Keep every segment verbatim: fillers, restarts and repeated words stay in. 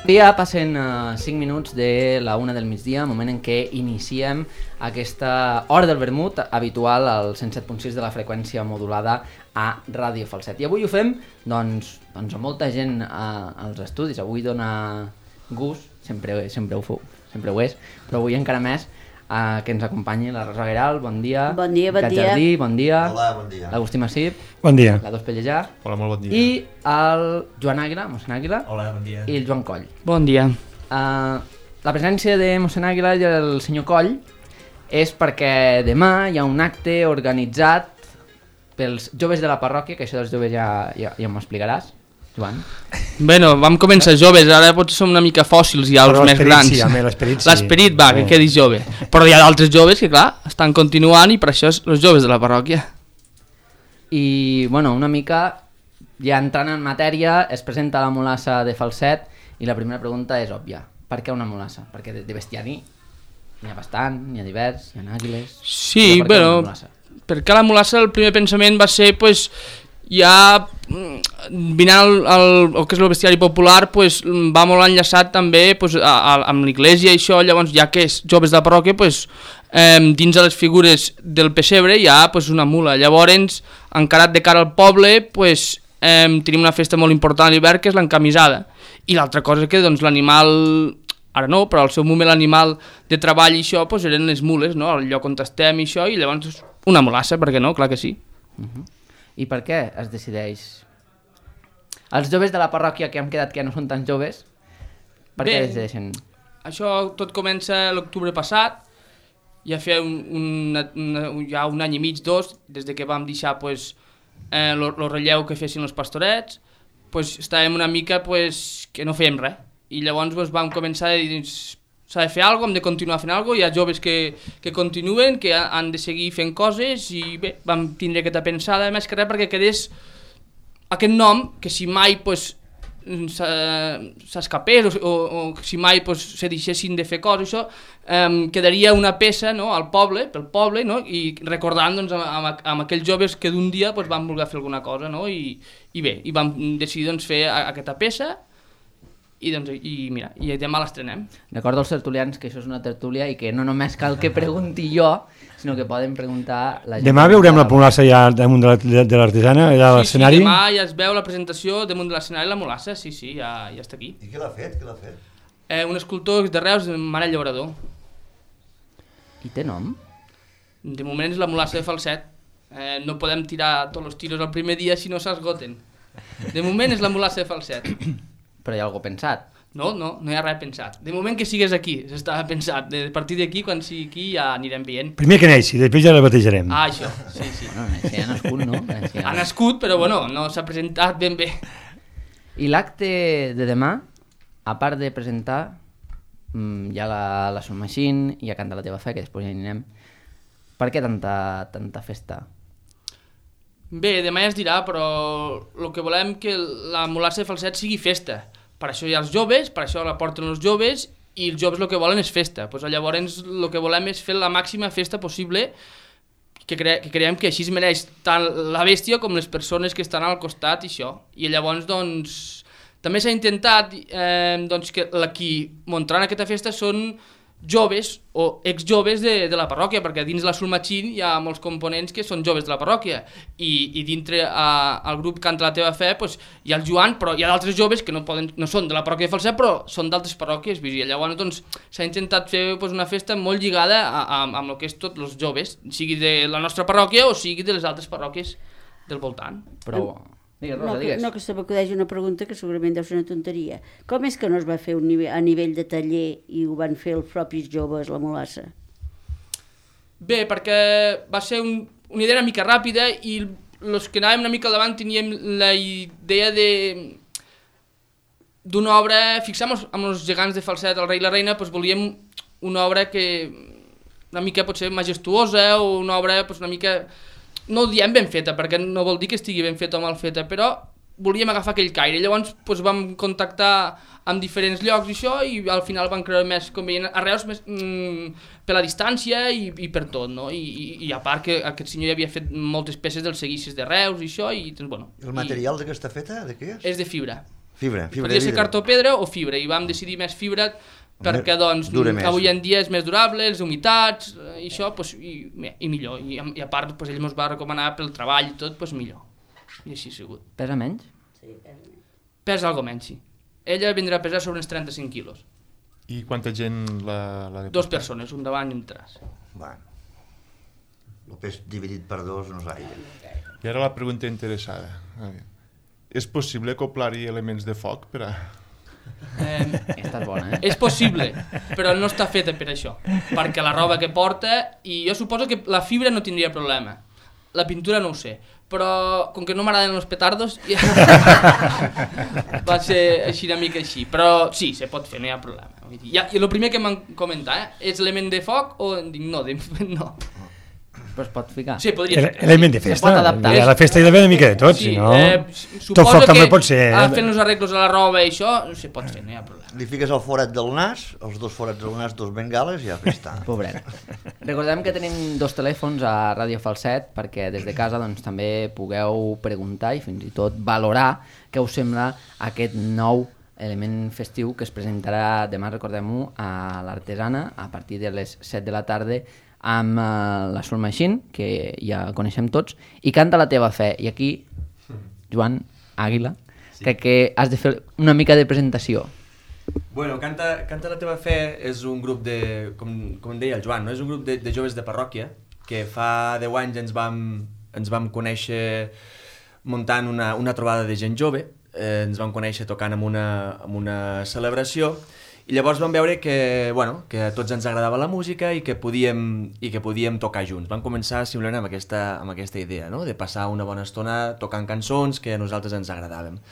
Dia passen uh, cinc minuts de la una del migdia, moment en què iniciem aquesta hora del vermut habitual al cent set punt sis de la freqüència modulada a Ràdio Falset. I avui ho fem doncs, doncs amb molta gent uh, als estudis. Avui dona gust, sempre, sempre, ho, sempre ho és, però avui encara més uh, que ens acompanyi la Rosa Gueralt. Bon dia. Bon dia, bon Cat dia. Jardí, bon dia. Hola, bon dia. L'Agustí Massip. Bon dia. La Dos Pellejà. Hola, molt bon dia. I el Joan Àguila, mossèn Àguila. Hola, bon dia. I el Joan Coll. Bon dia. Uh, la presència de mossèn Àguila i del senyor Coll és perquè demà hi ha un acte organitzat pels joves de la parròquia, que això dels joves ja, ja, ja m'ho explicaràs, Joan. Bueno, vam començar joves, ara potser som una mica fòssils ja, els Però més l'esperit grans. sí, home, l'esperit sí. L'esperit va, que Sí. quedi jove. Però hi ha d'altres joves que, clar, estan continuant i per això és els joves de la parròquia. I, bueno, una mica, ja entrant en matèria, es presenta la mulassa de Falset i la primera pregunta és òbvia. Per què una mulassa? Perquè de, de bestiari n'hi ha bastant, n'hi ha divers, hi ha àguiles... Sí, Però per què bueno, una mulassa? perquè la mulassa el primer pensament va ser, pues, ja mm, vinant al, al, el que és el bestiari popular, pues, va molt enllaçat també pues, a, a, amb l'església i això, llavors ja que és joves de la parròquia, pues, eh, dins de les figures del pessebre hi ha pues, una mula, llavors encarat de cara al poble pues, eh, tenim una festa molt important a l'hivern que és l'encamisada, i l'altra cosa és que doncs, l'animal, ara no, però al seu moment l'animal de treball i això pues, eren les mules, no? El lloc on estem i això, i llavors una mulassa, per què no? Clar que sí. Uh-huh. I per què es decideix? Els joves de la parròquia que hem quedat que ja no són tan joves, per Bé, què decideixen? Això tot comença l'octubre passat, ja feia un, un, una, ja un any i mig, dos, des de que vam deixar pues, eh, lo, lo relleu que fessin els pastorets, pues, estàvem una mica pues, que no fèiem res. I llavors pues, vam començar a dir, s'ha de fer alguna cosa, hem de continuar fent alguna cosa, hi ha joves que, que continuen, que han de seguir fent coses, i bé, vam tindre aquesta pensada, més que res perquè quedés aquest nom, que si mai pues, s'escapés o, o, o si mai pues, se deixessin de fer coses, això, eh, quedaria una peça no, al poble, pel poble, no, i recordant doncs, amb, amb, amb aquells joves que d'un dia pues, van voler fer alguna cosa, no, i, i bé, i vam decidir doncs, fer a, aquesta peça, i, doncs, i mira, i demà l'estrenem. Recordo als tertulians que això és una tertúlia i que no només cal que pregunti jo, sinó que poden preguntar la gent. Demà veurem la mulassa ja damunt de la- de l'artesana, allà a Sí, l'escenari. sí, demà ja es veu la presentació damunt de l'escenari la mulassa, sí, sí, ja, ja està aquí. I qui l'ha fet? Qui l'ha fet? Eh, un escultor de Reus, Manel Llaurador. I té nom? De moment és la mulassa de Falset. Eh, no podem tirar tots els tiros el primer dia si no s'esgoten. De moment és la mulassa de Falset. Però hi ha algú pensat. No, no, no hi ha res pensat. De moment que sigues aquí, s'estava pensat. De partir d'aquí, quan sigui aquí, ja anirem veient. Primer que neixi, després ja la batejarem. Ah, això, sí, sí. Bueno, si ha nascut, no? Si Ha nascut, però bueno, no s'ha presentat ben bé. I l'acte de demà, a part de presentar, mm, hi ha la, la Soul Machine, hi ha Canta la teva fe, que després ja hi anirem. Per què tanta, tanta festa? Bé, demà ja es dirà, però el que volem que la mulassa de Falset sigui festa. Per això hi ha els joves, per això la porten els joves, i els joves el que volen és festa. Pues, llavors el que volem és fer la màxima festa possible, que, cre que creiem que així es mereix tant la bèstia com les persones que estan al costat i això. I llavors, doncs, també s'ha intentat eh, doncs, que la qui muntaran aquesta festa són joves o exjoves de, de la parròquia, perquè dins la Soul Machine hi ha molts components que són joves de la parròquia, i, i dintre a, al grup Canta la teva fe pues, hi ha el Joan, però hi ha d'altres joves que no, poden, no són de la parròquia de Falset, però són d'altres parròquies, i llavors doncs, s'ha intentat fer pues, una festa molt lligada a, a, amb el que és tots els joves, sigui de la nostra parròquia o sigui de les altres parròquies del voltant. Però... Digues, Rosa, No, que, digues. no, que se m'acudeix una pregunta que segurament deu ser una tonteria. Com és que no es va fer un nivell, a nivell de taller i ho van fer els propis joves, la mulassa? Bé, perquè va ser un, una idea una mica ràpida i els que anàvem una mica al davant teníem la idea de d'una obra, fixem amb els gegants de Falset, el rei i la reina, doncs volíem una obra que una mica potser majestuosa o una obra doncs, una mica... No ho diem ben feta, perquè no vol dir que estigui ben feta o mal feta, però volíem agafar aquell caire. Llavors doncs, vam contactar amb diferents llocs i això, i al final vam creure més convenient a Reus més, mm, per la distància i, i per tot, no? I, i, i a part que aquest senyor ja havia fet moltes peces dels seguicis de Reus i això, i doncs, bueno... El material i... d'aquesta feta, de què és? És de fibra. Fibra, fibra Podia de ser vidre. cartó pedra o fibra, i vam decidir més fibra perquè doncs, Dura més. avui en dia és més durable, les humitats, eh, i això, pues, i, i millor. I, I a part, pues, ell ens va recomanar pel treball i tot, pues, millor. I així ha sigut. Pesa menys? Pesa algo menys, sí. Ella vindrà a pesar sobre uns trenta-cinc quilos. I quanta gent la, la de Dos portar? persones, un davant i un tras. Bueno, el pes dividit per dos no és gaire. I ara la pregunta interessada. A veure, és possible acoplar-hi elements de foc per a... Eh, Esta és bona, eh? és possible, però no està feta per això, perquè la roba que porta, i jo suposo que la fibra no tindria problema, la pintura no ho sé, però com que no m'agraden els petardos ja... va ser així una mica així, però sí, se pot fer, no hi ha problema. Vull dir, ja, i el primer que m'han comentat, eh, és element de foc o dic no, de... no. Però es pot ficar. Sí, podria Ele- ser. Element de Se festa. pot adaptar. A la festa hi ha d'haver una mica de tot, si no... eh, Tot suposo foc que també pot ser... ah, fent els arreglos a la roba i això, se pot fer, no hi ha problema. Li fiques el forat del nas, els dos forats del nas, dos bengales i ja està. Pobret. Recordem que tenim dos telèfons a Ràdio Falset perquè des de casa doncs, també pugueu preguntar i fins i tot valorar què us sembla aquest nou element festiu que es presentarà demà, recordem-ho, a l'Artesana a partir de les set de la tarda amb uh, la Soul Machine, que ja coneixem tots, i Canta la teva fe. I aquí, Joan Àguila, sí. crec que has de fer una mica de presentació. Bueno, Canta, Canta la teva fe és un grup de, com, com deia el Joan, no? És un grup de, de joves de parròquia que fa deu anys ens vam, ens vam conèixer muntant una, una trobada de gent jove, eh, ens vam conèixer tocant en una, en una celebració i llavors vam veure que, bueno, que a tots ens agradava la música i que podíem, i que podíem tocar junts. Vam començar simplement amb aquesta, amb aquesta idea, no? De passar una bona estona tocant cançons que a nosaltres ens agradaven.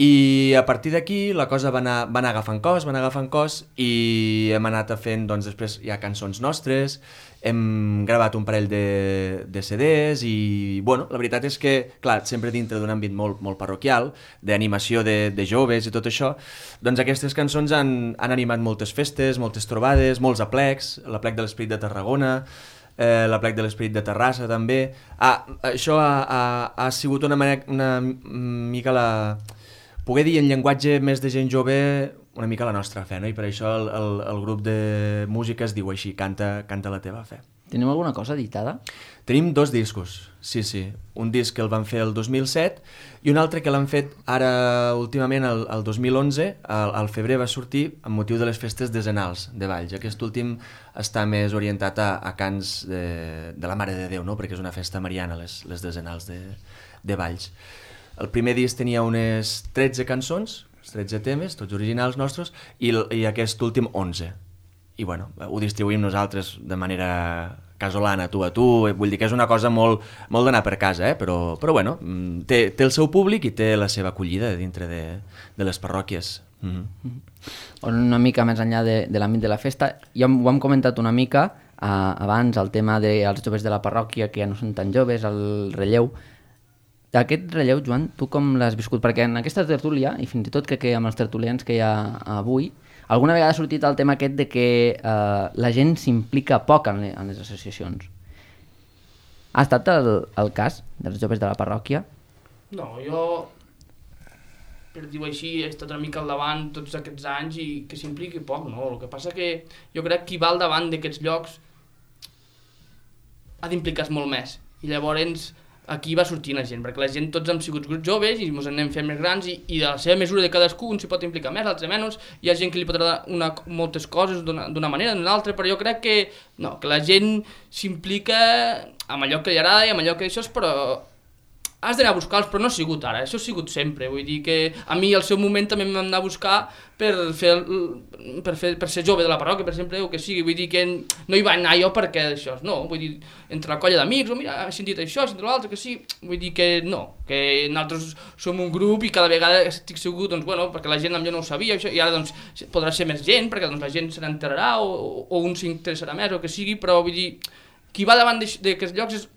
I a partir d'aquí la cosa va anar, va anar agafant cos, va anar agafant cos i hem anat fent, doncs després hi ha cançons nostres, hem gravat un parell de, de C Ds i, bueno, la veritat és que, clar, sempre dintre d'un àmbit molt, molt parroquial, d'animació de, de joves i tot això, doncs aquestes cançons han, han animat moltes festes, moltes trobades, molts aplecs, l'aplec de l'Esperit de Tarragona, eh, l'aplec de l'Esperit de Terrassa també. Ah, això ha, ha, ha sigut una, manera, una mica la... poder dir en llenguatge més de gent jove una mica la nostra fe, no? I per això el, el, el grup de música es diu així, Canta, Canta la teva fe. Teniu alguna cosa editada? Tenim dos discos, sí, sí. Un disc que el van fer el dos mil set i un altre que l'han fet ara últimament, el, el dos mil onze, al, al febrer va sortir amb motiu de les festes decenals de Valls. Aquest últim està més orientat a, a cants de, de la Mare de Déu, no? Perquè és una festa mariana, les, les decenals de, de Valls. El primer disc tenia unes tretze cançons, tretze temes, tots originals nostres, i, i aquest últim onze. I bueno, ho distribuïm nosaltres de manera casolana, tu a tu, vull dir que és una cosa molt, molt d'anar per casa, eh? però, però bueno, té, té el seu públic i té la seva acollida dintre de, de les parròquies. Mm-hmm. Una mica més enllà de, de l'àmbit de la festa, ja ho hem comentat una mica eh, abans, el tema dels joves de la parròquia que ja no són tan joves, el relleu. Aquest relleu, Joan, tu com l'has viscut? Perquè en aquesta tertúlia, i fins i tot crec que amb els tertulians que hi ha avui, alguna vegada ha sortit el tema aquest de que eh, la gent s'implica poc en, le, en les associacions. Ha estat el, el cas dels joves de la parròquia? No, jo, per dir-ho així, he estat una mica al davant tots aquests anys i que s'impliqui poc, no? El que passa que jo crec que qui va al davant d'aquests llocs ha d'implicar-se molt més. I llavors aquí va sortint la gent, perquè la gent tots hem sigut grups joves i ens anem fent més grans i, i de la seva mesura de cadascú un s'hi pot implicar més, l'altre menys, hi ha gent que li pot agradar una, moltes coses d'una manera, d'una altra, però jo crec que, no, que la gent s'implica amb allò que li agrada i amb allò que això és, però has d'anar a buscar-los, però no ha sigut ara, això ha sigut sempre, vull dir que a mi al seu moment també m'hem d'anar a buscar per, fer, per, fer, per ser jove de la parròquia, per exemple, o que sigui, vull dir que no hi va anar jo perquè això, no, vull dir, entre la colla d'amics, o mira, he sentit això, he sentit l'altre, que sí, vull dir que no, que nosaltres som un grup i cada vegada estic segur, doncs, bueno, perquè la gent potser no ho sabia, això, i ara, doncs, podrà ser més gent, perquè doncs, la gent se n'enterarà, o, o un s'interessarà més, o que sigui, però vull dir, qui va davant d'aquests llocs és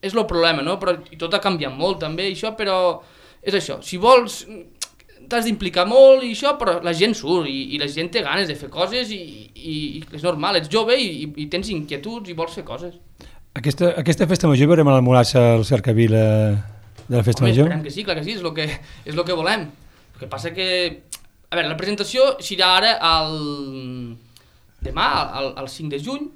és el problema, no? Però, i tot ha canviat molt també, això, però és això, si vols t'has d'implicar molt i això, però la gent surt i, i la gent té ganes de fer coses i, i, i és normal, ets jove i, i tens inquietuds i vols fer coses. Aquesta, aquesta festa major veurem a la Mulassa al cercavila de la festa Home, major? esperem que sí, clar que sí, és el que, és el que volem. El que passa que... A veure, la presentació serà ara el... demà, el, el cinc de juny,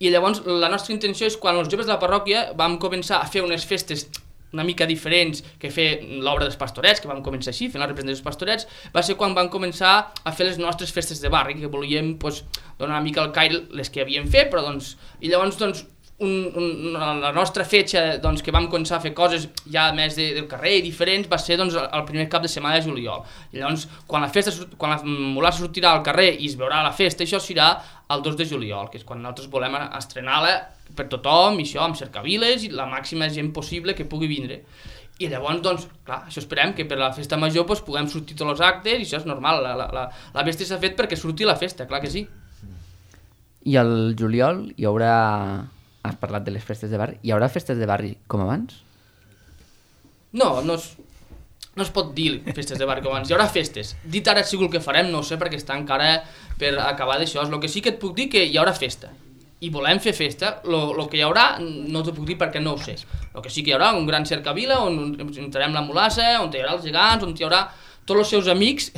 i llavors la nostra intenció és quan els joves de la parròquia vam començar a fer unes festes una mica diferents que fer l'obra dels pastorets, que vam començar així, fent la representació dels pastorets, va ser quan vam començar a fer les nostres festes de barri, que volíem pues, donar una mica al caire les que havíem fet, però doncs... I llavors, doncs, un, un, la nostra fetge, doncs, que vam començar a fer coses ja més de, del carrer i diferents, va ser doncs, el primer cap de setmana de juliol. I llavors, quan la festa, quan la mulassa sortirà al carrer i es veurà la festa, això serà el dos de juliol, que és quan nosaltres volem estrenar-la per tothom, i això, amb cercaviles i la màxima gent possible que pugui vindre. I llavors, doncs, clar, això esperem que per la festa major doncs, puguem sortir tots els actes, i això és normal, la, la, la, la festa s'ha fet perquè surti la festa, clar que sí. I al juliol hi haurà... Has parlat de les festes de barri. Hi haurà festes de barri com abans? No, no es, no es pot dir festes de barri com abans. Hi haurà festes. Dit ara segur el que farem, no ho sé, perquè està encara per acabar d'això. El que sí que et puc dir que hi haurà festa. I volem fer festa. El que hi haurà no t'ho puc dir perquè no ho sé. El que sí que hi haurà un gran cercavila on entrarem la mulassa, on hi haurà els gegants, on hi haurà tots els seus amics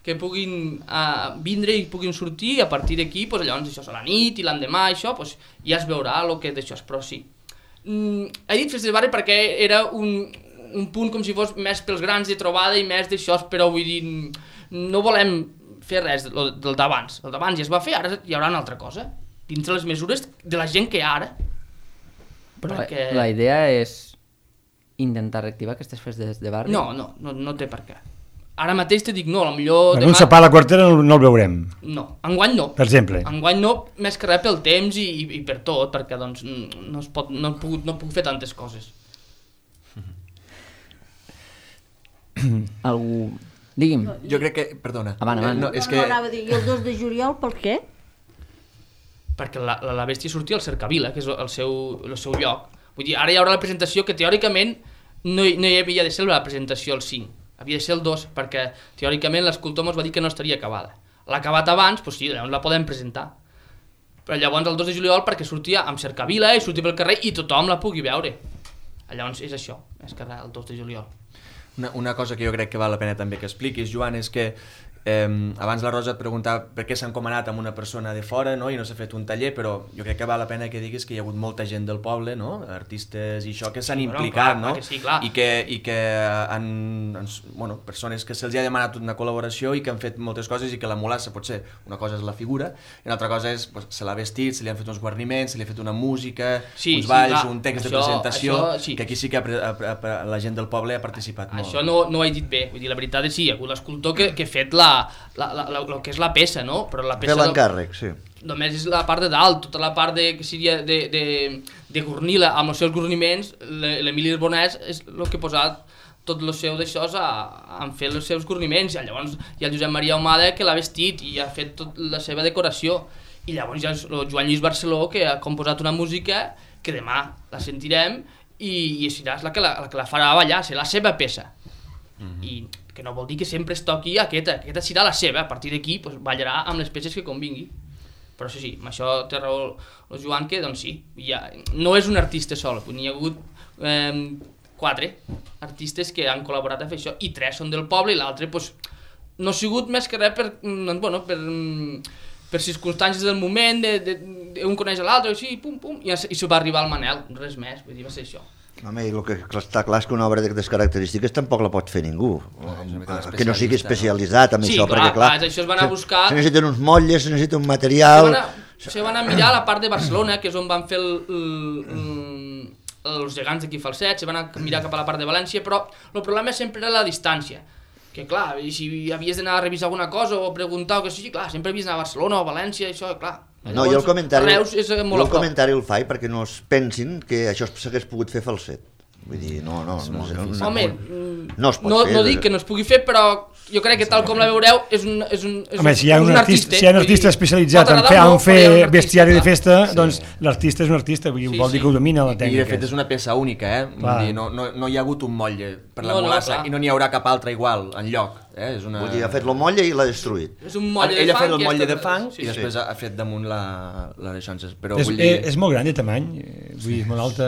que puguin uh, vindre i puguin sortir, i a partir d'aquí, pues, llavors això a la nit i l'endemà, això, pues, ja es veurà el que d'això és, però sí. Mm, he dit festes de barri perquè era un, un punt com si fos més pels grans de trobada i més d'això, però vull dir, no volem fer res del, del d'abans. El d'abans ja es va fer, ara hi haurà una altra cosa, dintre les mesures de la gent que hi ha ara. Però perquè... la idea és intentar reactivar aquestes festes de barri? No, no, no, no té per què. Ara mateix te dic no, potser... Demà... Un sopar a la quartera no, no el veurem. No, enguany no. Per exemple. Enguany no, més que res pel temps i, i, i per tot, perquè doncs no, es pot, no, puc, no puc fer tantes coses. Algú... Digui'm. Jo crec que... Perdona. Avant, avant. No, és no, que... no, anava a dir, i el dos de juliol per què? Perquè la, la, la bèstia sortia al Cercavila, que és el seu, el seu lloc. Vull dir, ara hi haurà la presentació que teòricament no hi, no hi havia de ser la presentació el cinc. Havia de ser el dos, perquè teòricament l'escultor ens va dir que no estaria acabada. L'ha acabat abans, doncs sí, llavors la podem presentar. Però llavors el dos de juliol perquè sortia amb cercavila i sortia pel carrer i tothom la pugui veure. Llavors és això, és que el dos de juliol. Una, una cosa que jo crec que val la pena també que expliquis, Joan, és que eh, abans la Rosa et preguntava per què s'ha encomanat amb una persona de fora, no? I no s'ha fet un taller, però jo crec que val la pena que diguis que hi ha hagut molta gent del poble, no? Artistes i això que s'han sí, implicat, clar, no? clar que sí, clar. I que, i que han, han, bueno, persones que se'ls ha demanat una col·laboració i que han fet moltes coses i que la mulassa potser una cosa és la figura i una altra cosa és, pues, se l'ha vestit, se li han fet uns guarniments, se li ha fet una música, sí, uns sí, balls, clar. un text Això, de presentació, això, sí. que aquí sí que a, a, a, la gent del poble ha participat molt. Això no, no ho he dit bé, vull dir, la veritat és sí, hi ha hagut l'escultor que, que ha fet la, la, la, la, el que és la peça, no? Però la peça... Fer l'encàrrec, sí. Només és la part de dalt, tota la part de, que seria de, de, de Gornila amb els seus gorniments, l'Emili Bonès és el que ha posat tot el seu d'això a, a fer els seus gorniments, i llavors hi ha el Josep Maria Ahumada que l'ha vestit i ha fet tota la seva decoració, i llavors hi ha el Joan Lluís Barceló que ha composat una música que demà la sentirem i, i serà la que la, la que la farà ballar, serà la seva peça. Mm-hmm. I que no vol dir que sempre es toqui aquesta, aquesta serà la seva, a partir d'aquí pues, ballarà amb les peces que convingui. Però sí, sí, amb això té raó el Joan, que doncs sí, ja, no és un artista sol, n'hi ha hagut eh, quatre artistes que han col·laborat a fer això, i tres són del poble i l'altre pues, no ha sigut més que res per, doncs, bueno, per, per circumstàncies del moment, de, de, de un coneix l'altre, i, pum, pum, i, i se va arribar al Manel, res més, vull dir, va ser això. Home, i el que està clar és que una obra d'aquestes característiques tampoc la pot fer ningú, Ah, que no sigui especialitzat en sí, això, clar, perquè clar, clar, això es van a buscar... se necessiten uns motlles, se necessita un material... Se van, a, se van a mirar la part de Barcelona, que és on van fer el, el, el, els gegants d'aquí Falset, se van a mirar cap a la part de València, però el problema sempre era la distància. Que clar, si havies d'anar a revisar alguna cosa o preguntar o que sigui, clar, sempre havies d'anar a Barcelona o a València, això, clar... No, jo el comentari, Reus és molt jo el comentari el faig perquè no es pensin que això s'hagués pogut fer Falset. Vull dir, no, no, no, no, no, Home, no es pot no, fer. no dic que no es pugui fer, però jo crec que tal com la veureu és un, és un, és Home, si hi ha un, un artista, artista, si hi ha un artista especialitzat en fer, en fer bestiari de festa, doncs l'artista és un artista, vull dir, Sí, vol dir sí. que ho domina la I tècnica. de fet és una peça única, eh? Vull Clar. dir, no, no, no hi ha hagut un motlle per la No, no, mulassa clar. i no n'hi haurà cap altre igual enlloc. Eh? És una... Vull dir, ha fet la molla i l'ha destruït. És un molle Ell de ha fang. fet el i motlle està- de fang sí, i sí. després ha fet damunt la, la d'aixonses. Però És, vull dir... és, és molt gran de tamany, eh, vull dir, és molt alta...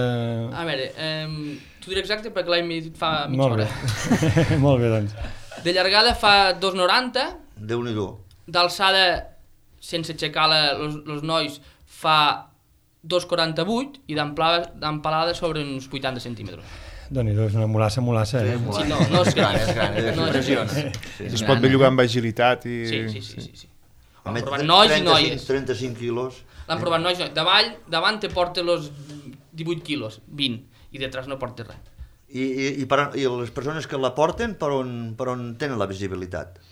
A veure, eh, t'ho diré exacte perquè l'he dit fa mitja Molt hora. bé, molt bé, doncs. De llargada fa dos noranta. Déu-n'hi-do. D'alçada, sense aixecar els nois, fa dos quaranta-vuit i d'empalada sobre uns vuitanta centímetres. Doni-do, és una mulassa, mulassa. Eh? Sí, no, no és gran, és gran. És no és gran. Sí, es pot bellugar amb agilitat i... Sí, sí, sí. sí, sí. L'han Amb provat nois i noies. trenta-cinc quilos. L'han provat nois i noies. Davall, davant te porta els divuit quilos, vint, i detrás no porta res. I, i, i, per, I les persones que la porten, per on, per on tenen la visibilitat?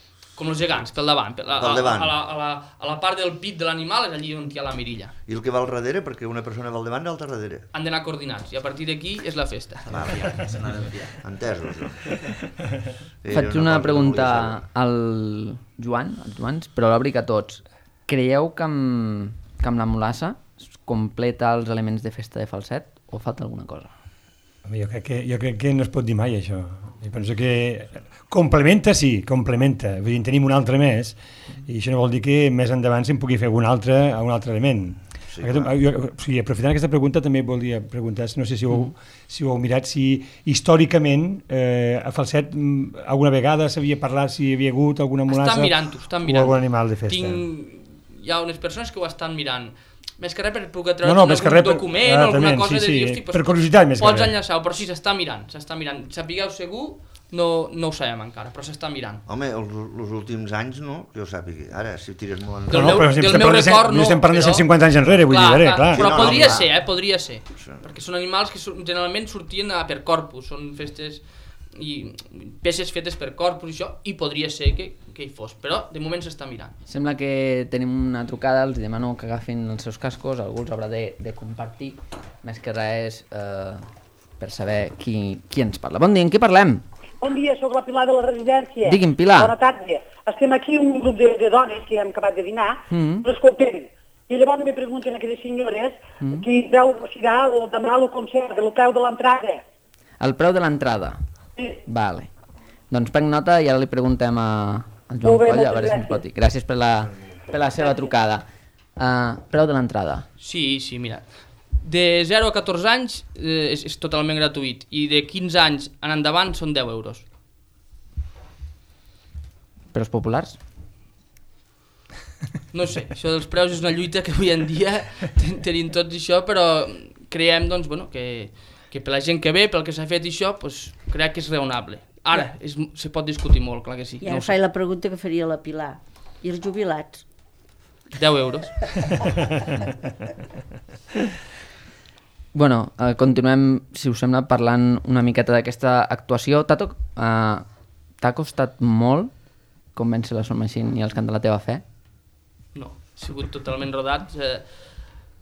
Com els gegants, pel davant. Per la, Pel davant. A, la, a, la, a la part del pit de l'animal és allí on hi ha la mirilla. I el que va al darrere, perquè una persona va al davant i l'altra al darrere. Han d'anar coordinats, i a partir d'aquí és la festa. Vale, entesos. Eh, Faig una pregunta al Joan, als Joans, però l'obric a tots. Creieu que amb, que amb la mulassa es completa els elements de festa de falset o falta alguna cosa? Jo crec, que, jo crec que no es pot dir mai això. Jo penso que complementa, sí, complementa. Vull dir, en tenim un altre més i això no vol dir que més endavant se'n pugui fer un altre, un altre element. Sí, Aquest, jo, o sigui, aprofitant aquesta pregunta també volia preguntar, no sé si ho, mm. si ho heu mirat, si històricament eh, a Falset alguna vegada s'havia parlat si hi havia hagut alguna mulassa estan mirant-ho, estan mirant. o algun animal de festa. Tinc... Hi ha unes persones que ho estan mirant. Més que res per poder treure no, no, algun res, document o alguna cosa sí, de dir, sí, hosti, per curiositat més que pots res. enllaçar-ho, però sí, s'està mirant, s'està mirant. Sapigueu segur, no, no ho sabem encara, però s'està mirant. Home, els, els últims anys no, que jo sàpiga. Ara, si tires molt Del enrere... meu, no, però del estem meu parlant de, record, no. estem parlant de però... cent cinquanta anys enrere, vull clar, dir, clar, clar. Però Sí, no, podria no, ser, eh, podria ser. Sí. Perquè són animals que generalment sortien a per corpus, són festes i peces fetes per corpus i això, i podria ser que, que hi fos, però de moment s'està mirant. Sembla que tenim una trucada, els demano que agafin els seus cascos, algú els haurà de, de compartir, més que res eh, per saber qui, qui ens parla. Bon dia, en qui parlem? Bon dia, sóc la Pilar de la residència. Digui'm, Pilar. Bona tarda. Estem aquí un grup de, de dones que hem acabat de dinar, Mm. però escoltem, i llavors me pregunten a aquelles senyores Mm. qui veu, si hi ha el, demà el concert, el preu de l'entrada. El preu de l'entrada. Sí. Vale. Doncs prenc nota i ara li preguntem a, al Joan Molt bé, Coll, a moltes veure si ens gràcies. pot dir. Gràcies per la, per la seva trucada. Uh, preu de l'entrada. Sí, sí, mira. De zero a catorze anys eh, és, és totalment gratuït i de quinze anys en endavant són deu euros. Per als populars? No sé, això dels preus és una lluita que avui en dia ten- tenim tots això, però creiem doncs, bueno, que, que per la gent que ve, pel que s'ha fet això, pues, crec que és raonable. Ara, és, se pot discutir molt, clar que sí. I No ara ho sé. faig la pregunta que faria la Pilar. I els jubilats? deu euros. Bueno, eh, continuem, si us sembla, parlant una miqueta d'aquesta actuació. T'ha to- eh, t'ha costat molt convèncer la Soul Machine i els Cant de la teva fe? No, ha sigut totalment rodat. Eh,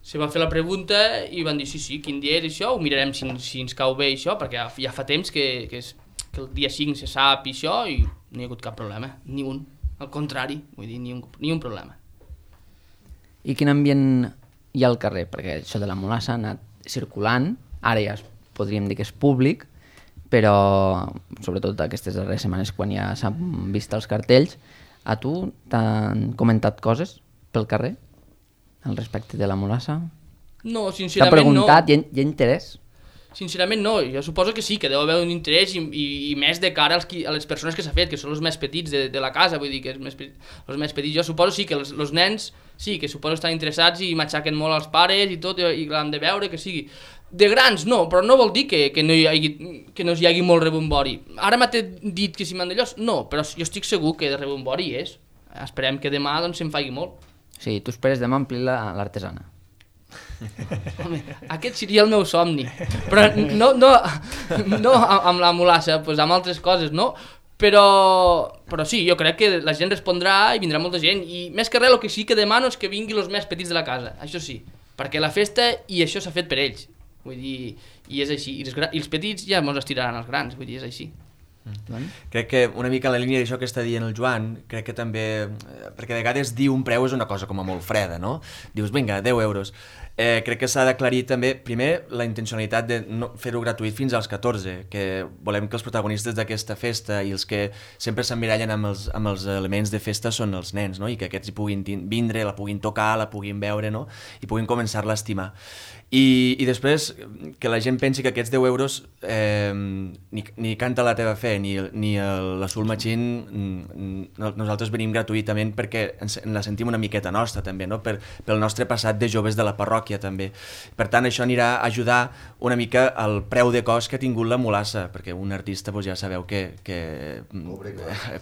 se va fer la pregunta i van dir sí, sí, quin dia és això, ho mirarem si, si ens cau bé això, perquè ja, ja fa temps que, que, és, que el dia cinc se sap i això i no hi ha hagut cap problema, ni un. Al contrari, vull dir, ni un, ni un problema. I quin ambient hi ha al carrer? Perquè això de la mulassa ha anat circulant, ara ja es- podríem dir que és públic, però sobretot aquestes darreres setmanes quan ja s'han vist els cartells, a tu t'han comentat coses pel carrer al respecte de la mulassa? No, T'ha sincerament preguntat, no. hi ha, hi ha interès? Sincerament no, jo suposo que sí, que deu haver un interès i, i, i més de cara als qui, a les persones que s'ha fet, que són els més petits de, de la casa, vull dir que els més, pe- els més petits, jo suposo sí que els, els nens sí, que suposo estan interessats i matxaquen molt als pares i tot, i, i l'han de veure, que sigui. De grans no, però no vol dir que, que, no, hi hagi, que no hi hagi molt rebombori. Ara m'ha dit que si m'han d'allò, no, però jo estic segur que de rebombori és. Esperem que demà doncs, se'n faci molt. Sí, tu esperes demà omplir la- l'artesana. Home, aquest seria el meu somni, però no, no, no amb la mulassa, doncs amb altres coses, no? Però, però sí, jo crec que la gent respondrà i vindrà molta gent, i més que res el que sí que demano és que vinguin els més petits de la casa, això sí, perquè la festa i això s'ha fet per ells, vull dir, i és així, i els, gra- i els petits ja mos estiraran els grans, vull dir, és així. Crec que una mica en la línia d'això que està dient el Joan, crec que també, eh, perquè de vegades dir un preu és una cosa com a molt freda, no? Dius, vinga, deu euros. Eh, crec que s'ha d'aclarir també, primer, la intencionalitat de no fer-ho gratuït fins als catorze, que volem que els protagonistes d'aquesta festa i els que sempre s'emmirallen amb, els, amb els elements de festa són els nens, no? I que aquests hi puguin vindre, la puguin tocar, la puguin veure, no? I puguin començar-la a estimar. I, I després, que la gent pensi que aquests deu euros eh, ni, ni Canta la teva fe ni, ni el, la Soul Machine, nosaltres venim gratuïtament perquè ens, ens la sentim una miqueta nostra també, no? Per, pel nostre passat de joves de la parròquia també. Per tant, això anirà a ajudar una mica al preu de cost que ha tingut la mulassa, perquè un artista doncs, ja sabeu que, que cobre,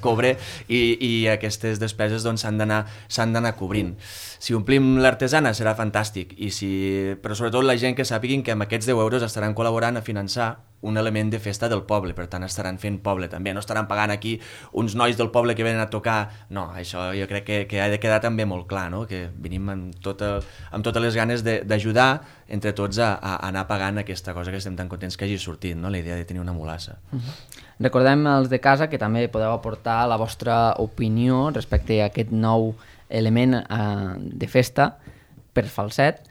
cobre i, i aquestes despeses doncs, s'han d'anar s'han d'anar cobrint. Si omplim l'artesana serà fantàstic, i si, però sobretot la gent que sàpiguin que amb aquests deu euros estaran col·laborant a finançar un element de festa del poble, per tant estaran fent poble també, no estaran pagant aquí uns nois del poble que venen a tocar, no, això jo crec que, que ha de quedar també molt clar, no? Que venim amb, tota, amb totes les ganes d'ajudar entre tots a, a anar pagant aquesta cosa que estem tan contents que hagi sortit, no? La idea de tenir una mulassa. Uh-huh. Recordem als de casa que també podeu aportar la vostra opinió respecte a aquest nou element eh, de festa per falset,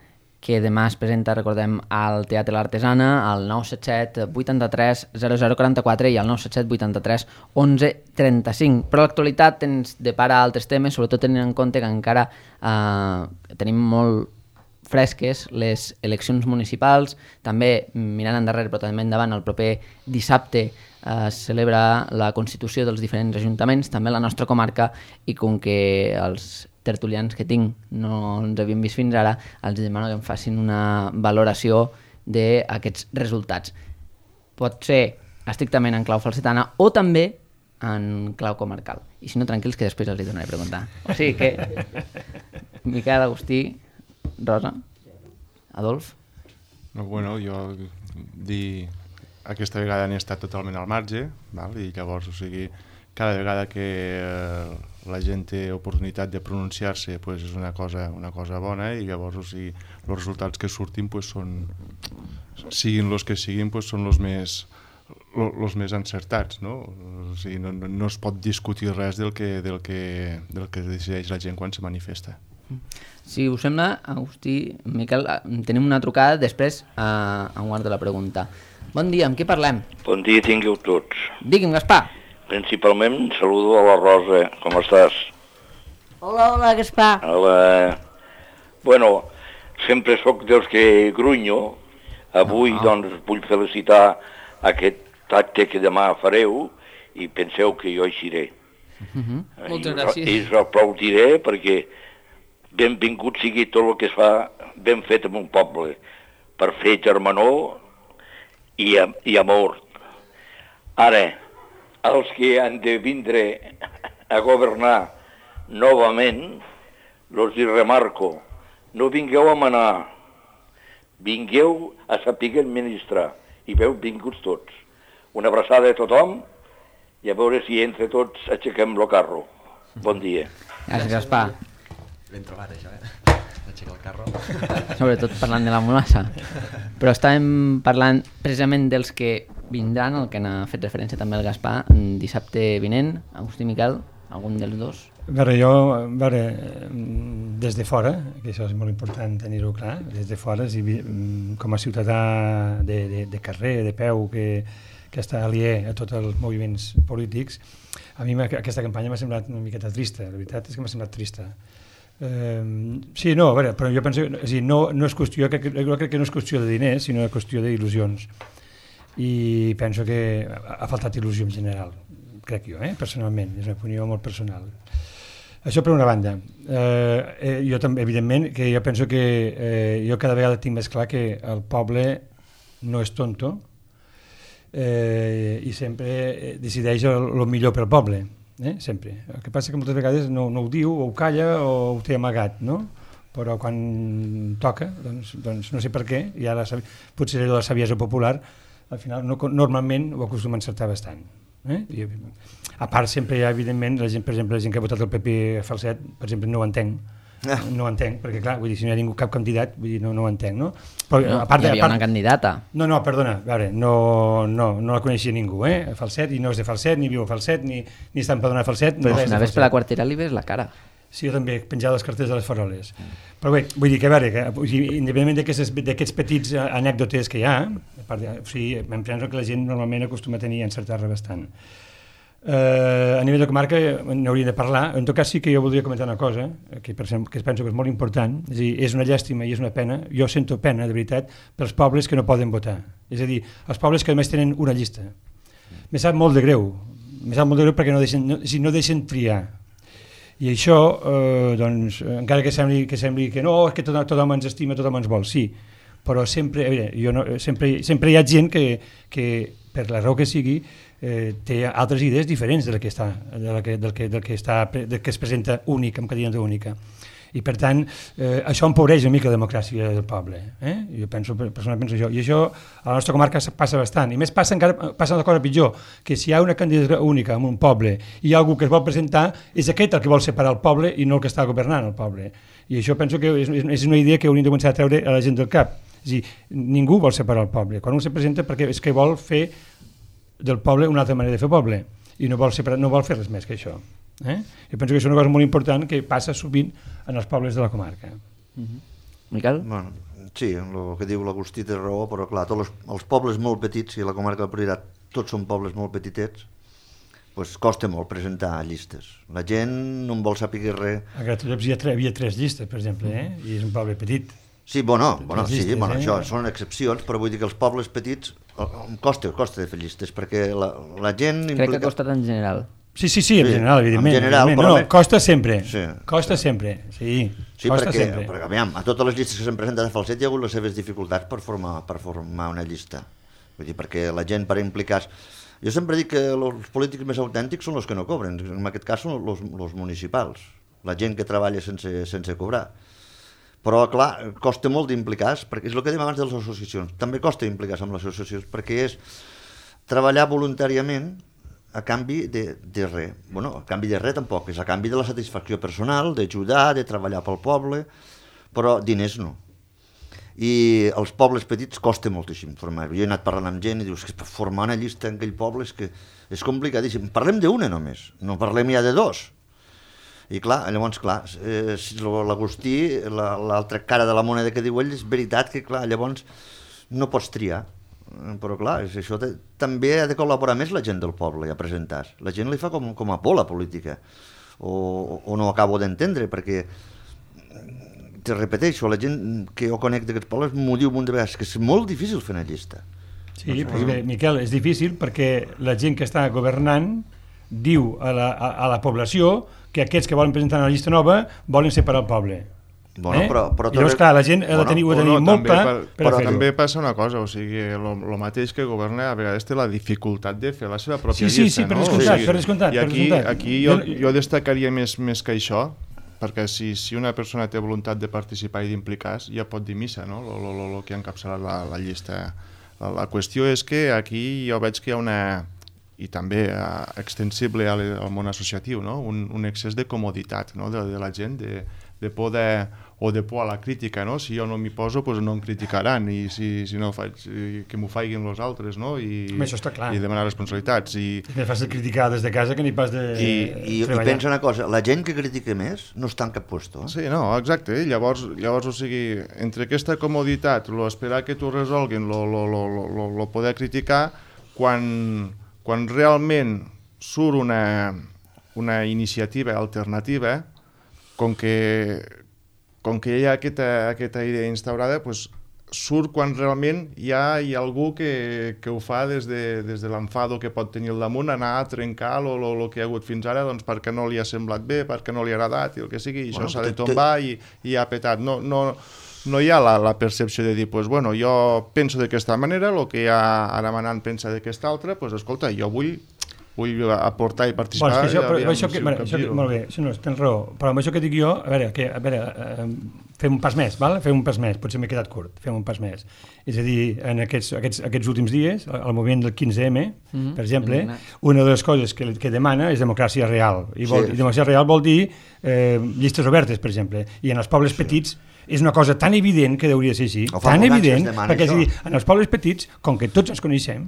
que demà es presenta, recordem, al Teatre L'Artesana, al nou set set vuitanta-tres zero zero quaranta-quatre i al nou set set vuitanta-tres onze trenta-cinc. Però l'actualitat ens depara altres temes, sobretot tenint en compte que encara eh, tenim molt fresques les eleccions municipals, també mirant endarrere però també endavant, el proper dissabte es celebra la constitució dels diferents ajuntaments, també la nostra comarca, i com que els tertulians que tinc no ens havien vist fins ara, els demano que em facin una valoració d'aquests resultats. Pot ser estrictament en clau falsetana o també en clau comarcal. I si no, tranquils, que després els hi donaré a preguntar. O sigui que... Miquel, Agustí, Rosa, Adolf? No, bueno, jo dir... Aquesta vegada n'he estat totalment al marge, val? I llavors, o sigui, cada vegada que eh, la gent té oportunitat de pronunciar-se, pues, és una cosa, una cosa bona, i llavors, o sigui, els resultats que surtin, pues, són, siguin els que siguin, pues, són els més, els més encertats, no? O sigui, no, no, no es pot discutir res del que, del, que, del que decideix la gent quan se manifesta. Si us sembla, Agustí, Miquel, tenim una trucada després a, a un quart de la pregunta. Bon dia, amb qui parlem? Bon dia tingueu tots. Digui'm, Gaspar. Principalment saludo a la Rosa, com estàs? Hola, hola, Gaspar. Hola. Bueno, sempre sóc dels que grunyo. Avui, no. doncs, vull felicitar aquest acte que demà fareu i penseu que jo eixiré. Uh-huh. I Moltes gràcies. I us aplaudiré perquè benvingut sigui tot el que es fa ben fet en un poble per fer germanor i, i amor. Ara, els que han de vindre a governar novament, los hi remarco, no vingueu a manar, vingueu a saber administrar, i veu vinguts tots. Una abraçada a tothom i a veure si entre tots aixequem el carro. Bon dia. Gràcies, Gaspar. Ben trobat, això, eh? Aixecar el carro. Sobretot parlant de la mulassa. Però estàvem parlant precisament dels que vindran, el que n'ha fet referència també el Gaspar, dissabte vinent. Agustí, Miquel, algun dels dos? A veure, jo, a veure, des de fora, que això és molt important tenir-ho clar, des de fora, si, com a ciutadà de, de, de carrer, de peu, que, que està aliè a tots els moviments polítics, a mi aquesta campanya m'ha semblat una miqueta trista, la veritat és que m'ha semblat trista. Uh, sí, no, a veure, però jo penso que sí, no, no és qüestió, que, jo crec que no és qüestió de diners, sinó qüestió d'il·lusions, i penso que ha faltat il·lusió en general, crec jo, eh, personalment, és una opinió molt personal. Això per una banda. Uh, eh, jo també, evidentment, que jo penso que eh, jo cada vegada tinc més clar que el poble no és tonto eh, i sempre decideix el, el millor pel poble. Eh? Sempre. El que passa que moltes vegades no, no ho diu, o ho calla o ho té amagat, no? Però quan toca, doncs, doncs no sé per què, i ara potser la saviesa popular, al final no, normalment ho acostuma a encertar bastant. Eh? I, a part sempre hi ha, evidentment, la gent, per exemple, la gent que ha votat el P P falset, per exemple, no ho entenc. Ah. No ho entenc, perquè clar, vull dir, si no hi ha ningú, cap candidat, vull dir, no, no ho entenc, no? Però, no, a part, hi havia a part, una candidata. No, no, perdona, a veure, no, no, no la coneixia ningú, eh? Falset, i no és de Falset, ni viu a Falset, ni, ni està empadronat a Falset. Però no si anaves per la quartera li ves la cara. Sí, jo també, penjar les cartes de les faroles. Però bé, vull dir que, a veure, que, o sigui, independentment d'aquests petits anècdotes que hi ha, a part de, o sigui, em penso que la gent normalment acostuma a tenir i encertar-la bastant. Uh, a nivell de comarca n'hauria de parlar. En tot cas sí que jo voldria comentar una cosa que, per exemple, que penso que és molt important, és a dir, és una llàstima i és una pena, jo sento pena de veritat pels pobles que no poden votar, és a dir, els pobles que només tenen una llista. Me sap molt de greu, me sap molt de greu perquè no deixen, no, si no deixen triar. I això, eh, doncs, encara que sembli, que sembli que no, és que tot, tothom ens estima, tothom ens vol, sí, però sempre, veure, jo no, sempre, sempre hi ha gent que, que per la raó que sigui, Eh, té altres idees diferents de la que està, de la que, del, que, del, que està, del que es presenta únic, amb cadira única. I per tant, eh, això empobreix una mica la democràcia del poble. Eh? Jo penso, personalment penso això. I això a la nostra comarca passa bastant. I més passa encara passa una cosa pitjor, que si hi ha una candidatura única en un poble i hi ha algú que es vol presentar, és aquest el que vol separar el poble i no el que està governant el poble. I això penso que és, és una idea que hauríem de començar a treure a la gent del cap. És a dir, ningú vol separar el poble. Quan un se presenta perquè és que vol fer del poble una altra manera de fer poble i no vol, separar, no vol fer res més que això. Eh? Jo penso que és una cosa molt important que passa sovint en els pobles de la comarca. Mm-hmm. Miquel? Bueno, sí, el que diu l'Agustí té raó, però clar, tots els, els pobles molt petits, i la comarca del Priorat tots són pobles molt petitets, pues costa molt presentar llistes. La gent no en vol saber res. A Gratallops hi havia tres llistes, per exemple, eh? I és un poble petit. Sí, bueno, bueno, sí, llistes, bueno, eh? això són excepcions, però vull dir que els pobles petits em costa, costa de fer llistes, perquè la, la gent... Crec implica... que ha costat en general. Sí, sí, sí, en sí, general, evidentment. En general, evidentment. però... No, no, costa sempre, sí. costa sempre, sí, sí costa perquè, sempre. perquè aviam, a totes les llistes que s'han presentat a Falset hi ha hagut les seves dificultats per formar, per formar una llista. Vull dir, perquè la gent per implicar-se... Jo sempre dic que els polítics més autèntics són els que no cobren, en aquest cas són els municipals, la gent que treballa sense, sense cobrar. Però, clar, costa molt d'implicar-se, perquè és el que dèiem abans de les associacions. També costa implicar-se amb les associacions, perquè és treballar voluntàriament a canvi de, de res. Bueno, a canvi de res tampoc, és a canvi de la satisfacció personal, d'ajudar, de treballar pel poble, però diners no. I els pobles petits costa moltíssim formar. Jo he anat parlant amb gent i dius que formar una llista en aquell poble és que és complicadíssim. Parlem d'una només, no parlem ja de dos. I clar, llavors, clar, eh, l'Agustí, l'altra cara de la moneda que diu ell, és veritat que, clar, llavors no pots triar. Però, clar, això te, també ha de col·laborar més la gent del poble a presentar-se. La gent li fa com, com a por la política, o, o no acabo d'entendre, perquè, te repeteixo, la gent que jo conec d'aquests pobles m'ho diu un de vegades, que és molt difícil fer una llista. Sí, però bé, Miquel, és difícil perquè la gent que està governant diu a la, a, a la població que aquests que volen presentar una llista nova volen separar el poble. Bueno, eh? però, però I llavors, clar, la gent ha de tenir, bueno, tenir no, molt clar per, per però fer-ho. també passa una cosa, o sigui, el mateix que governa a vegades té la dificultat de fer la seva pròpia sí, sí, llista, sí, per no? descomptat, O sigui, per descomptat. I aquí, per descomptat. aquí jo, jo destacaria més, més que això, perquè si, si una persona té voluntat de participar i d'implicar-se, ja pot dir missa, no? El que ha encapçalat la, la llista. La, la qüestió és que aquí jo veig que hi ha una... i també uh, extensible al, al món associatiu, no? un, un excés de comoditat, no? de, de la gent, de, de por de, o de por a la crítica, no? Si jo no m'hi poso, pues no em criticaran, i si, si no faig, que m'ho faiguin els altres, no? I, Home, això està clar. I demanar responsabilitats. I, és més fàcil criticar des de casa que ni pas de I, i, i pensa una cosa, la gent que critica més no està en cap puesto. Eh? Sí, no, exacte, llavors, llavors o sigui, entre aquesta comoditat, lo esperar que t'ho resolguin, lo, lo, lo, lo, lo poder criticar, quan... quan realment surt una, una iniciativa alternativa, com que, com que hi ha aquesta, aquesta idea instaurada, pues, surt quan realment hi ha, hi ha algú que, que ho fa des de, des de l'enfado que pot tenir al damunt, anar a trencar el que hi ha hagut fins ara, doncs perquè no li ha semblat bé, perquè no li ha agradat, i el que sigui, i bueno, això s'ha de tombar i, i ha petat. No, no, no hi ha la, la percepció de dir, pues, bueno, jo penso d'aquesta manera, el que ja ara manant pensa d'aquesta altra, pues, escolta, jo vull, vull aportar i participar. Bueno, això, però, aviam, això que, si bueno, això que, molt bé, això no, tens raó, però amb això que dic jo, a veure, que, a veure eh, fem un pas més, val? fem un pas més, potser m'he quedat curt, fem un pas més. És a dir, en aquests, aquests, aquests últims dies, al moviment del quinze eme, mm-hmm. per exemple, una de les coses que, que demana és democràcia real. I, vol, sí, i democràcia real vol dir eh, llistes obertes, per exemple, i en els pobles sí. petits és una cosa tan evident que hauria de ser així, tan evident, perquè és dir, en els pobles petits, com que tots ens coneixem,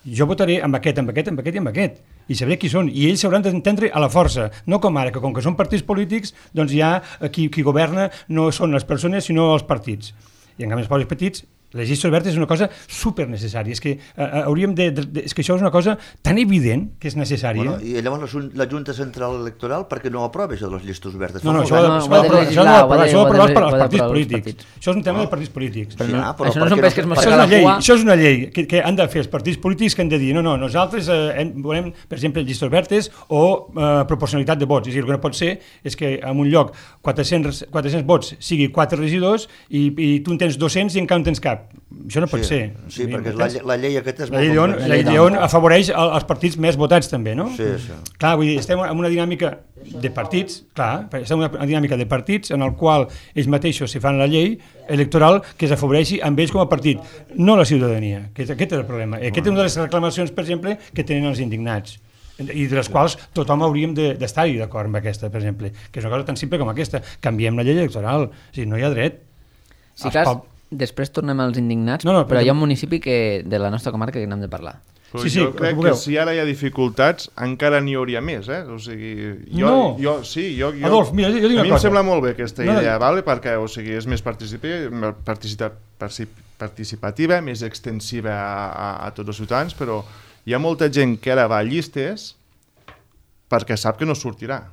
jo votaré amb aquest, amb aquest, amb aquest i amb aquest, i sabré qui són, i ells s'hauran d'entendre a la força, no com ara, que com que són partits polítics, doncs ja qui, qui governa no són les persones, sinó els partits. I en canvi els pobles petits, les llistes obertes és una cosa super necessària. És que eh, hauríem de, de, de... És que això és una cosa tan evident que és necessària. Bueno, I llavors la, la Junta Central Electoral per què no aprova això de les llistes obertes? No, no, això ho ha d'aprovar els partits polítics. Això és un tema de partits polítics. Però no, però això no són pesques mosca la cua. Això és una llei que, que han de fer els partits polítics que han de dir no, no, nosaltres eh, volem, per exemple, llistes obertes o eh, proporcionalitat de vots. És a dir, el que no pot ser és que en un lloc quatre-cents vots sigui quatre regidors i, i tu en tens dos-cents i encara en tens cap. Això no pot sí, ser. Sí, perquè la, la llei aquesta és la molt llei complexa. La llei Lleon afavoreix els partits més votats també, no? Sí, sí. Clar, vull dir, estem en una dinàmica de partits, clar, estem en una dinàmica de partits en el qual ells mateixos se fan la llei electoral que s'afavoreixi amb ells com a partit, no la ciutadania. Aquest, aquest és el problema. Aquest és una de les reclamacions, per exemple, que tenen els indignats i de les quals tothom hauríem d'estar-hi d'acord amb aquesta, per exemple, que és una cosa tan simple com aquesta. Canviem la llei electoral, o sigui, no hi ha dret. Sí, cas, després tornem als indignats, no, no, però, però hi ha un municipi que, de la nostra comarca que n'hem de parlar. Però sí, sí, jo crec que, que si ara hi ha dificultats encara n'hi hauria més, eh? O sigui, jo, no. jo, sí, jo, jo, Adolf, mira, jo dic una a mi cosa. Em sembla molt bé aquesta no, idea, no. vale? Perquè o sigui, és més participativa, participativa, més extensiva a, a, a tots els ciutadans, però hi ha molta gent que ara va a llistes perquè sap que no sortirà.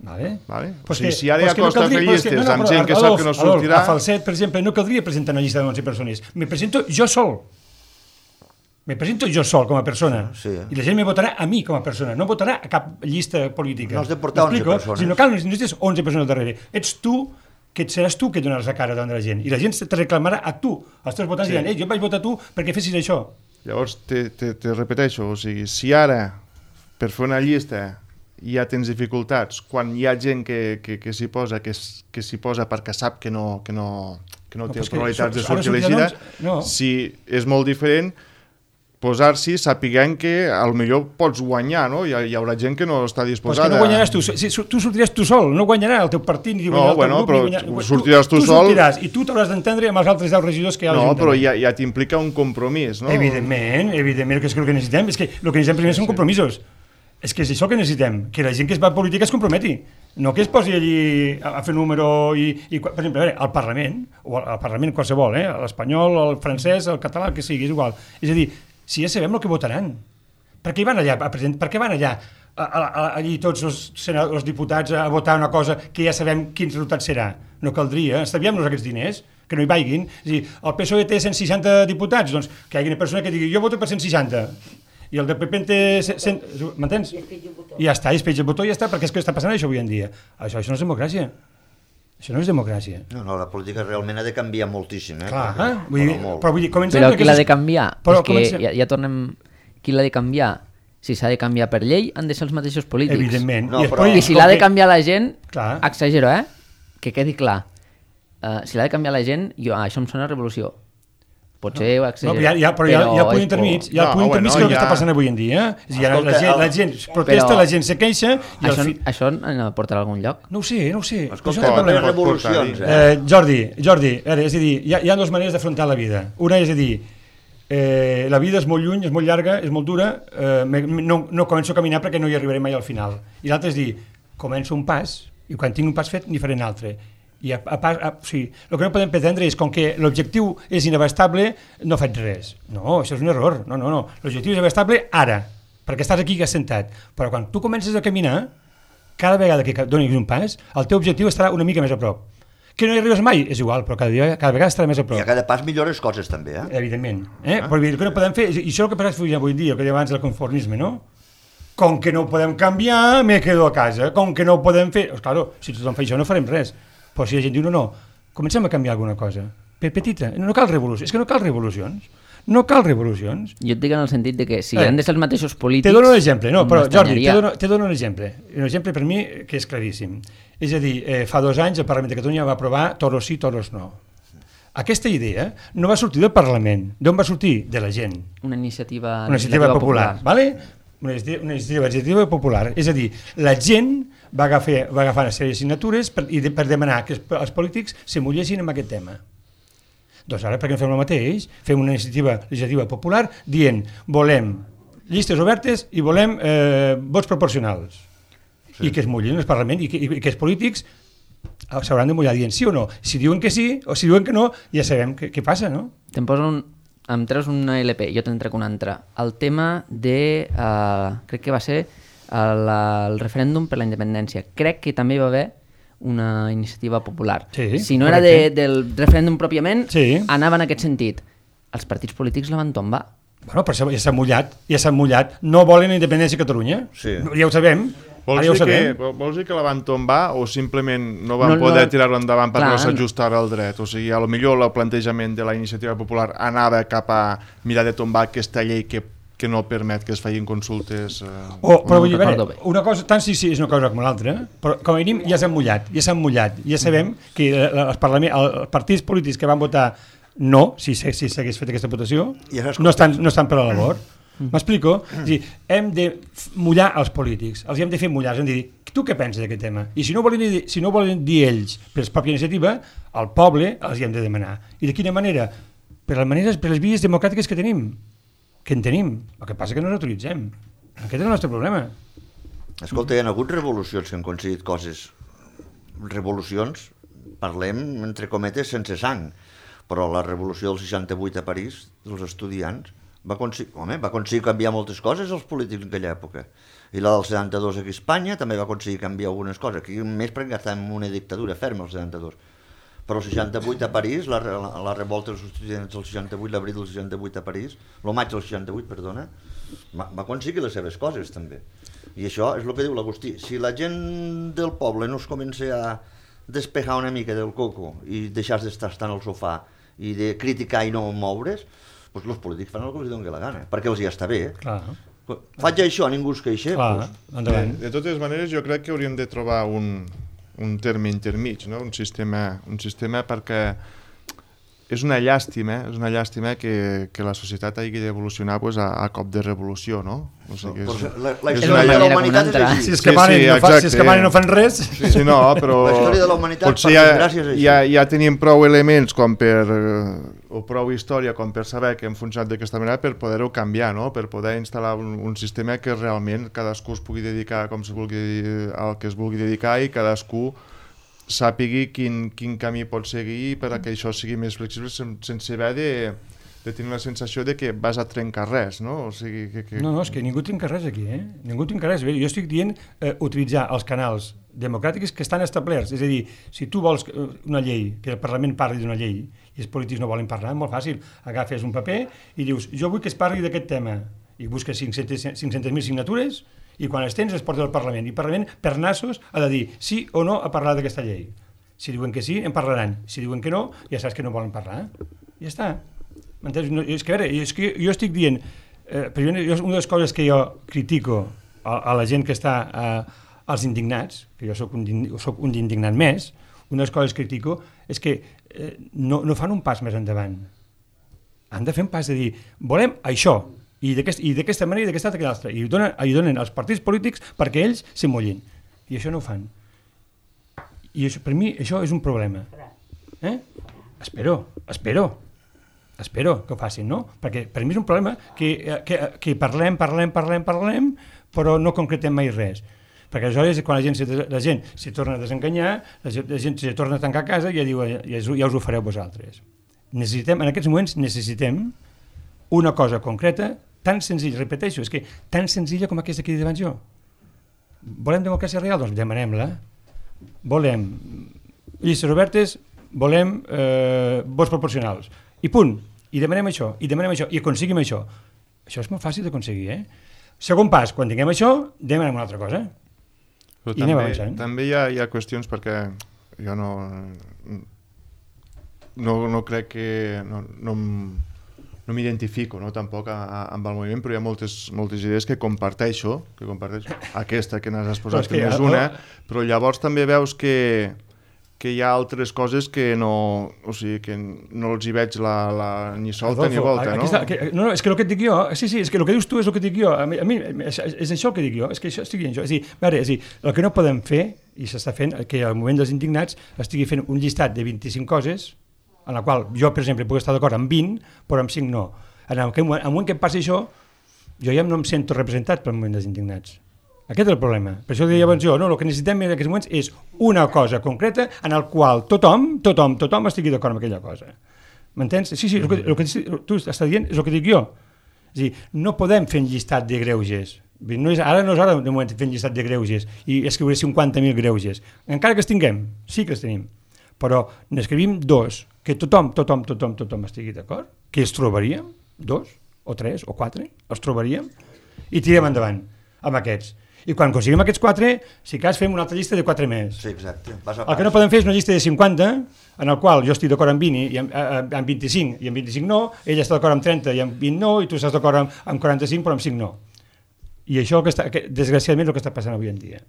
Vale. Vale? Pues o sigui, que, si ara pues hi ha costa no caldria, fer llistes no, no, amb però, gent que Adolf, sap que no sortirà... Adolf, a Falset, per exemple, no caldria presentar una llista de onze persones. Me presento jo sol. Me presento jo sol com a persona. Sí. I la gent me votarà a mi com a persona. No votarà a cap llista política. No has de portar onze persones. Si no cal, no necessites onze persones darrere. Ets tu, que seràs tu que donaràs la cara davant de la gent. I la gent te reclamarà a tu. Els teus votants sí. diran, ei, jo vaig votar a tu perquè fessis això. Llavors, te, te, te repeteixo, o sigui, si ara, per fer una llista... ja tens dificultats, quan hi ha gent que, que, que s'hi posa, que, que s'hi posa perquè sap que no, que no, que no, no té probabilitats de sortir elegida, no. Si és molt diferent posar-s'hi sapiguent que potser pots guanyar, no? Hi, hi haurà gent que no està disposada. Pues que no guanyaràs tu, si, tu sortiràs tu sol, no guanyarà el teu partit ni no, el bueno, teu grup. Però guanyar... sortiràs tu, tu sol... Tu sortiràs i tu t'hauràs d'entendre amb els altres deu regidors que hi ha a l'Ajuntament. No, però ja, ja t'implica un compromís, no? Evidentment, evidentment, que és el que necessitem, és que el que necessitem primer són compromisos. És que és això que necessitem, que la gent que es va a política es comprometi, no que es posi allí a, a fer número i, i per exemple, a veure, al Parlament, o al Parlament qualsevol, eh? l'espanyol, el francès, el català, el que sigui, és igual. És a dir, si ja sabem el que votaran, per què van allà a present, per què van allà a, a, a, allí tots els, els diputats a votar una cosa que ja sabem quin resultat serà? No caldria, estalviem-nos aquests diners, que no hi vagin. És a dir, el P S O E té cent seixanta diputats, doncs que hi hagi una persona que digui jo voto per cent seixanta, i el del P P en té cent... M'entens? I ja està, i es penja el botó i ja està, perquè és que està passant això avui en dia. Això, això no és democràcia. Això no és democràcia. No, no, la política realment ha de canviar moltíssim, eh? Clar, perquè, eh? Vull dir, però, però vull dir, comencem... Però qui l'ha de canviar? Però és que comencem... ja, ja tornem... Qui l'ha de canviar? Si s'ha de canviar per llei, han de ser els mateixos polítics. Evidentment. No, I, però... I si l'ha de canviar la gent, clar. Exagero, eh? Que quedi clar. Uh, si l'ha de canviar la gent, jo, ah, això em sona revolució. Potser ho exagero. No, ja, ja, però, però hi ha, hi ha punt intermig, hi ha no, punt intermig bueno, que és el que ja... està passant avui en dia. És dir, Escolta, la, gent, la gent protesta, però... la gent se queixa... I això, fi... això no portarà a algun lloc? No ho sé, no ho sé. Escolta, no hi ha revolucions, eh? eh? Jordi, Jordi, veure, és a dir, hi ha, hi ha dues maneres d'afrontar la vida. Una és a dir, eh, la vida és molt lluny, és molt llarga, és molt dura, eh, no, no començo a caminar perquè no hi arribaré mai al final. I l'altre és dir, començo un pas, i quan tinc un pas fet n'hi faré un altre. I a, a, a, o sigui, el que no podem pretendre és com que l'objectiu és inabastable, no faig res. No, això és un error. No, no, no. L'objectiu és inabastable ara, perquè estàs aquí assentat. Però quan tu comences a caminar, cada vegada que donis un pas, el teu objectiu estarà una mica més a prop. Que no hi arribes mai, és igual, però cada, dia, cada vegada estarà més a prop. I a cada pas millores coses també, eh? Evidentment. Eh? Ah. Però el que no podem fer, i això és el que passa avui en dia, el que deia abans del conformisme, no? Com que no ho podem canviar, me quedo a casa. Com que no ho podem fer... Pues, claro, si tothom fa això no farem res. Però si la gent diu, no, no, comencem a canviar alguna cosa. Per petita, no cal revolució. És que no cal revolucions. No cal revolucions. Jo et dic en el sentit de que si eh, han de ser els mateixos polítics... Te dono un exemple, no, però Jordi, te dono, te dono un exemple. Un exemple per mi que és claríssim. És a dir, eh, fa dos anys el Parlament de Catalunya va aprovar toros sí, toros no. Aquesta idea no va sortir del Parlament. D'on va sortir? De la gent. Una iniciativa, una iniciativa popular. popular. Vale? Una iniciativa, una iniciativa popular. És a dir, la gent va agafar, va agafar una sèrie de signatures per, i de, per demanar que els, els polítics se mullessin amb aquest tema. Doncs ara, per què no fem el mateix? Fem una iniciativa legislativa popular dient volem llistes obertes i volem eh, vots proporcionals. Sí. I que es mullin el Parlament i que, i que els polítics s'hauran de mullar dient sí o no. Si diuen que sí o si diuen que no, ja sabem què, què passa, no? Te'n poso un... Em treus una L P, jo te'n trec una altra. El tema de... Uh, crec que va ser el, el referèndum per la independència. Crec que també hi va haver una iniciativa popular. Sí, si no era de, del referèndum pròpiament, sí. Anava en aquest sentit. Els partits polítics la van tombar. Bueno, però ja s'ha mullat, ja s'ha mullat. No volen la independència a Catalunya. Sí. Ja ho sabem. Vols dir, que, vols dir que la van tombar o simplement no van no, poder no, tirar-lo endavant perquè clar, no s'ajustava al dret? O sigui, a lo millor el plantejament de la iniciativa popular anava cap a mirar de tombar aquesta llei que, que no permet que es facin consultes... Eh, oh, però no, vull dir, una cosa, tant sí, sí, és una cosa com l'altra, però com a mínim ja s'han mullat, ja s'han mullat, ja sabem que els, els partits polítics que van votar no, si s'hagués fet aquesta votació, no estan, no estan per a la labor. M'explico? És dir, hem de mullar els polítics, els hem de fer mullar, hem de dir, tu què penses d'aquest tema? I si no volen dir, si no volen dir ells per la pròpia iniciativa, al poble els hi hem de demanar. I de quina manera? Per les maneres, per les vies democràtiques que tenim, que en tenim. El que passa que no les utilitzem. Aquest és el nostre problema. Escolta, hi ha hagut revolucions que han aconseguit coses. Revolucions, parlem, entre cometes, sense sang. Però la revolució del seixanta-vuit a París, dels estudiants, va aconseguir, home, va aconseguir canviar moltes coses els polítics en aquella època. I la del setanta-dos aquí a Espanya també va aconseguir canviar algunes coses. Aquí més perquè estàvem en una dictadura ferma, el setanta-dos. Però el seixanta-vuit a París, la, la, la revolta dels estudiants del seixanta-vuit, l'abril del seixanta-vuit a París, el maig del seixanta-vuit, perdona, va, va aconseguir les seves coses també. I això és el que diu l'Agustí. Si la gent del poble no es comença a despejar una mica del coco i deixar d'estar estant al sofà i de criticar i no moure's, doncs els polítics fan el que els doni la gana, perquè els ja està bé. Clar. Faig això, ningú es queixa. Clar, endavant. De, de totes maneres, jo crec que hauríem de trobar un, un terme intermig, no? un, sistema, un sistema perquè és una llàstima, és una llàstima que, que la societat hagi d'evolucionar pues, a, a cop de revolució, no? O sigui, és, la, la història de la humanitat és així. Si és que van sí, sí, no, fa, si és que van i no fan res... Sí, sí, no, però... La història de la humanitat, potser ja, ja, ja tenim prou elements com per... o prou història com per saber que hem funcionat d'aquesta manera per poder-ho canviar, no? Per poder instal·lar un, un sistema que realment cadascú es pugui dedicar com se vulgui, al que es vulgui dedicar i cadascú sàpigui quin, quin camí pot seguir per a que això sigui més flexible sense haver de, de tenir la sensació de que vas a trencar res, no? O sigui, que, que... No, no, és que ningú trenca res aquí, eh? Ningú trenca res. Jo estic dient eh, utilitzar els canals democràtics que estan establerts. És a dir, si tu vols una llei, que el Parlament parli d'una llei i els polítics no volen parlar, és molt fàcil. Agafes un paper i dius, jo vull que es parli d'aquest tema. I busques cinc-centes mil signatures i quan els tens els portes al Parlament. I el Parlament, per nassos, ha de dir sí o no a parlar d'aquesta llei. Si diuen que sí, en parlaran. Si diuen que no, ja saps que no volen parlar. Ja està. M'entens? No, és que, a veure, és que jo estic dient... Eh, jo, una de les coses que jo critico a, a la gent que està... Eh, als indignats, que jo soc un, soc un indignat més, una de les coses que critico és que eh, no, no fan un pas més endavant. Han de fer un pas de dir, volem això, i d'aquesta manera i d'aquesta altra, i donen, i donen als partits polítics perquè ells se mullin. I això no ho fan. I això, per mi això és un problema. Eh? Espero, espero, espero que ho facin, no? Perquè per mi és un problema que, que, que parlem, parlem, parlem, parlem, però no concretem mai res. Perquè aleshores quan la gent, la gent se torna a desenganyar, la gent, la gent se torna a tancar a casa i ja diu, ja, ja us ho fareu vosaltres. Necessitem, en aquests moments necessitem una cosa concreta, tan senzilla, repeteixo, és que tan senzilla com aquesta que he dit abans jo. Volem democràcia real? Doncs demanem-la. Volem llistes obertes, volem eh, vots proporcionals. I punt. I demanem això, i demanem això, i aconseguim això. Això és molt fàcil d'aconseguir, eh? Segon pas, quan tinguem això, demanem una altra cosa. Però I també, també hi ha, hi ha qüestions perquè jo no no, no crec que no, no, no m'identifico no, tampoc a, a, amb el moviment, però hi ha moltes, moltes idees que comparteixo, que comparteixo aquesta que n'has exposat que no és una, però llavors també veus que que hi ha altres coses que no, o sigui, que no els hi veig la, la, ni solta Adolfo, ni volta, no? Està, que, no, no, és que el que et dic jo, sí, sí, és que el que dius tu és el que et dic jo, a mi, a mi és, és això el que dic jo, és que això estic dient jo, és a dir, veure, és a dir, el que no podem fer, i s'està fent, que al moment dels indignats estigui fent un llistat de vint-i-cinc coses, en la qual jo, per exemple, puc estar d'acord amb vint, però amb cinc no. En el moment que em passi això, jo ja no em sento representat pel moviment dels indignats. Aquest és el problema. Per això llavors jo, no, el que necessitem en aquests moments és una cosa concreta en el qual tothom, tothom, tothom estigui d'acord amb aquella cosa. M'entens? Sí, sí, el que, el que tu estàs dient és el que dic jo. És a dir, no podem fer un llistat de greuges. No és, ara no és hora de moment fer un llistat de greuges i escriure cinquanta mil greuges. Encara que els tinguem, sí que els tenim. Però n'escrivim dos, que tothom, tothom, tothom, tothom estigui d'acord, que els trobaríem, dos, o tres, o quatre, els trobaríem, i tirem endavant amb aquests. I quan aconseguim aquests quatre, si cas fem una altra llista de quatre més. Sí, exacte. Pas a pas. El que no podem fer és una llista de cinquanta, en el qual jo estic d'acord amb vint i amb, amb vint-i-cinc, i amb vint-i-cinc no, ella està d'acord amb trenta i amb vint no, i tu estàs d'acord amb, amb quaranta-cinc però amb cinc no. I això, que està, que, desgraciadament, és el que està passant avui en dia,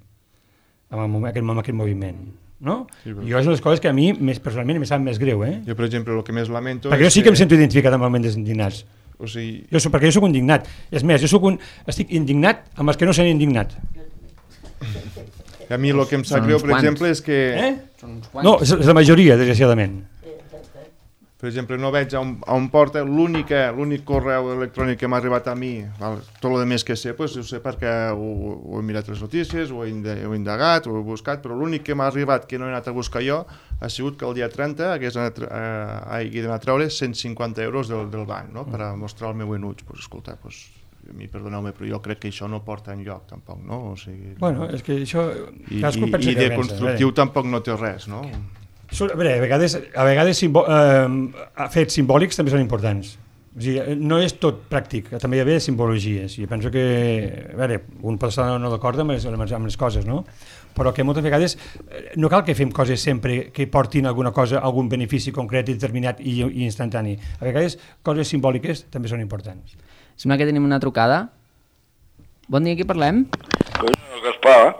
amb, el, aquest, amb aquest moviment. No? Sí, però... Jo és una de les coses que a mi, més, personalment, em sap més greu. Eh? Jo, per exemple, el que més lamento... Perquè jo sí que, que em sento identificat amb el moviment dels indignats. O sigui... jo soc, perquè jo soc indignat. És més, jo soc un, estic indignat amb els que no s'han indignat. A mi el que em sap greu, per exemple, és que... Eh? No, és la majoria, desgraciadament. Per exemple, no veig on, on porta l'únic correu electrònic que m'ha arribat a mi, val? Tot el més que sé, pues, ho sé perquè ho, ho he mirat les notícies, ho he, ho he indagat, ho he buscat, però l'únic que m'ha arribat que no he anat a buscar jo ha sigut que el dia trenta hagués anat, eh, hagi d'anar a treure cent cinquanta euros del, del banc, no? Per a mostrar el meu enuig. Pues, escolta, pues, a mi perdoneu-me, però jo crec que això no porta enlloc, tampoc, no? O sigui, bueno, és que això... I, i, i de constructiu eh? Tampoc no té res, no? A veure, a vegades, a vegades simbo, eh, fets simbòlics també són importants. O sigui, no és tot pràctic, també hi ha simbologies. I penso que, a veure, un pot estar no d'acord amb, amb les coses, no? Però que moltes vegades no cal que fem coses sempre que portin alguna cosa, algun benefici concret, determinat i, i instantani. A vegades coses simbòliques també són importants. Sembla que tenim una trucada. Bon dia, qui parlem? Gaspar.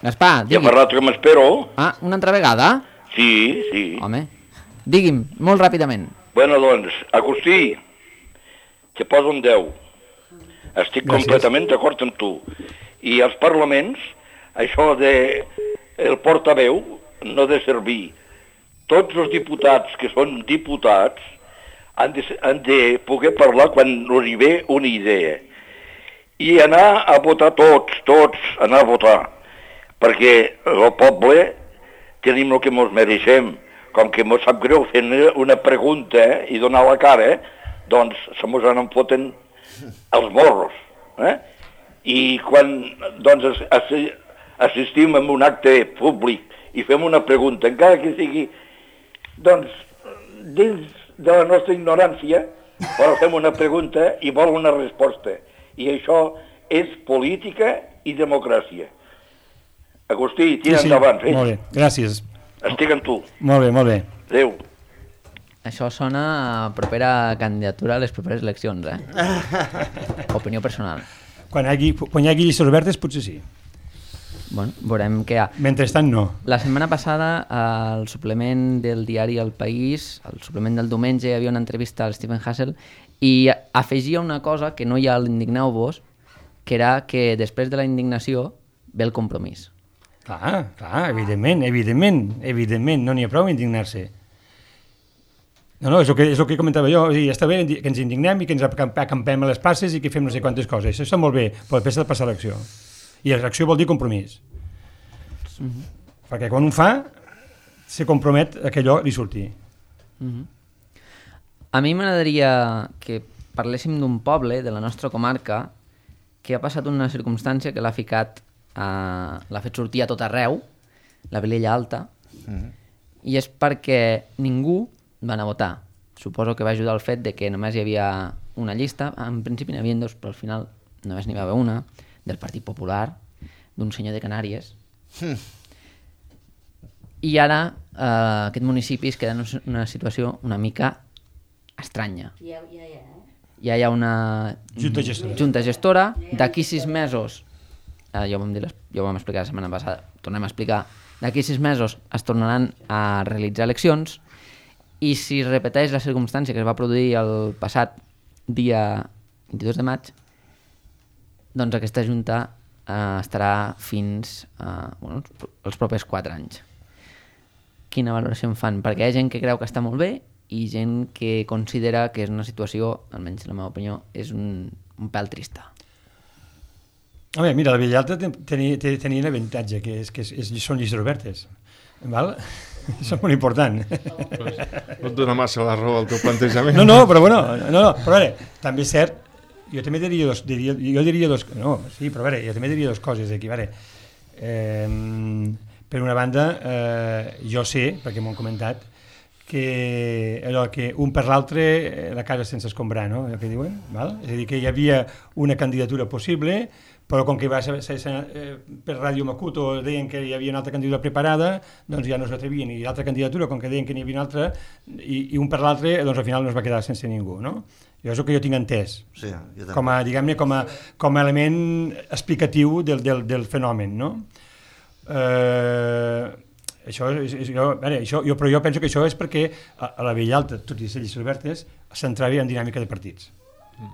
Gaspar, digui. Ja fa rato que m'espero. Ah, una altra vegada? Sí, sí. Home, digui'm, molt ràpidament. Bueno, doncs, Agustí, que poso un deu. Estic Gràcies. completament d'acord amb tu. I als parlaments, això de el portaveu no ha de servir. Tots els diputats que són diputats han de, han de poder parlar quan els ve una idea. I anar a votar tots, tots, anar a votar. Perquè el poble... tenim el que ens mereixem. Com que ens sap greu fer una pregunta eh, i donar la cara, eh, doncs se mos en foten els morros. Eh? I quan doncs, assistim a un acte públic i fem una pregunta, encara que sigui doncs, dins de la nostra ignorància, però fem una pregunta i vol una resposta. I això és política i democràcia. Agustí, tira sí, sí. endavant. Eh? Molt bé, gràcies. Estic amb tu. Molt bé, molt bé. Adéu. Això sona a propera candidatura a les properes eleccions, eh? Opinió personal. Quan hi hagi, quan hi hagi llistes obertes, potser sí. Bueno, veurem què hi ha. Mentrestant, no. La setmana passada, al suplement del diari El País, al suplement del diumenge, hi havia una entrevista al Stephen Hassel i afegia una cosa que no hi ha a l'Indigneu-vos, que era que després de la indignació ve el compromís. Clar, clar, evidentment, evidentment, evidentment, no n'hi ha prou indignar-se. No, no, és el que, és el que comentava jo, ja està bé que ens indignem i que ens acampem a les passes i que fem no sé quantes coses, això està molt bé, però després ha de passar l'acció. I l'acció vol dir compromís. Mm-hmm. Perquè quan un fa, se compromet a que allò li surti. Mm-hmm. A mi m'agradaria que parléssim d'un poble de la nostra comarca que ha passat una circumstància que l'ha ficat Uh, l'ha fet sortir a tot arreu, la Vilella Alta, mm-hmm. i és perquè ningú va anar a votar. Suposo que va ajudar el fet de que només hi havia una llista, en principi n'hi havia dos, però al final només n'hi va haver una, del Partit Popular, d'un senyor de Canàries. Mm. I ara uh, aquest municipi es queda en una situació una mica estranya. Ja, ja, ja. Ja hi ha una junta gestora, junta gestora. D'aquí sis mesos Uh, ja, ho vam dir, ja ho vam explicar la setmana passada, tornem a explicar, d'aquí sis mesos es tornaran a realitzar eleccions i si es repeteix la circumstància que es va produir el passat dia vint-i-dos de maig, doncs aquesta junta uh, estarà fins uh, bueno, els propers quatre anys. Quina valoració en fan? Perquè hi ha gent que creu que està molt bé i gent que considera que és una situació, almenys la meva opinió, és un, un pèl trista. Home, mira, la Villalta tenia, tenia l'avantatge, que, és, que és, és, són llistes obertes. Val? Això és molt important. Pues, no et dona massa la raó al teu plantejament. No, no, però bueno, no, no, però a veure, també és cert, jo també diria dos, diria, jo diria dos, no, sí, però a veure, jo també diria dos coses aquí, a veure, eh, per una banda, eh, jo sé, perquè m'ho han comentat, que, allò, que un per l'altre la casa sense escombrar, no? Allò que diuen, val? És a dir, que hi havia una candidatura possible, però com que va ser, ser, ser eh, per Ràdio Macuto deien que hi havia una altra candidatura preparada, doncs ja no s'atrevien, i l'altra candidatura, com que deien que n'hi havia una altra, i, i un per l'altre, doncs al final no es va quedar sense ningú, no? Jo és el que jo tinc entès, sí, jo com a, diguem-ne, com a, com a element explicatiu del, del, del fenomen, no? Eh, això és, és, jo, veure, això, jo, però jo penso que això és perquè a, a la Villalta, tot i ser llistes obertes, s'entrava en dinàmica de partits. Mm.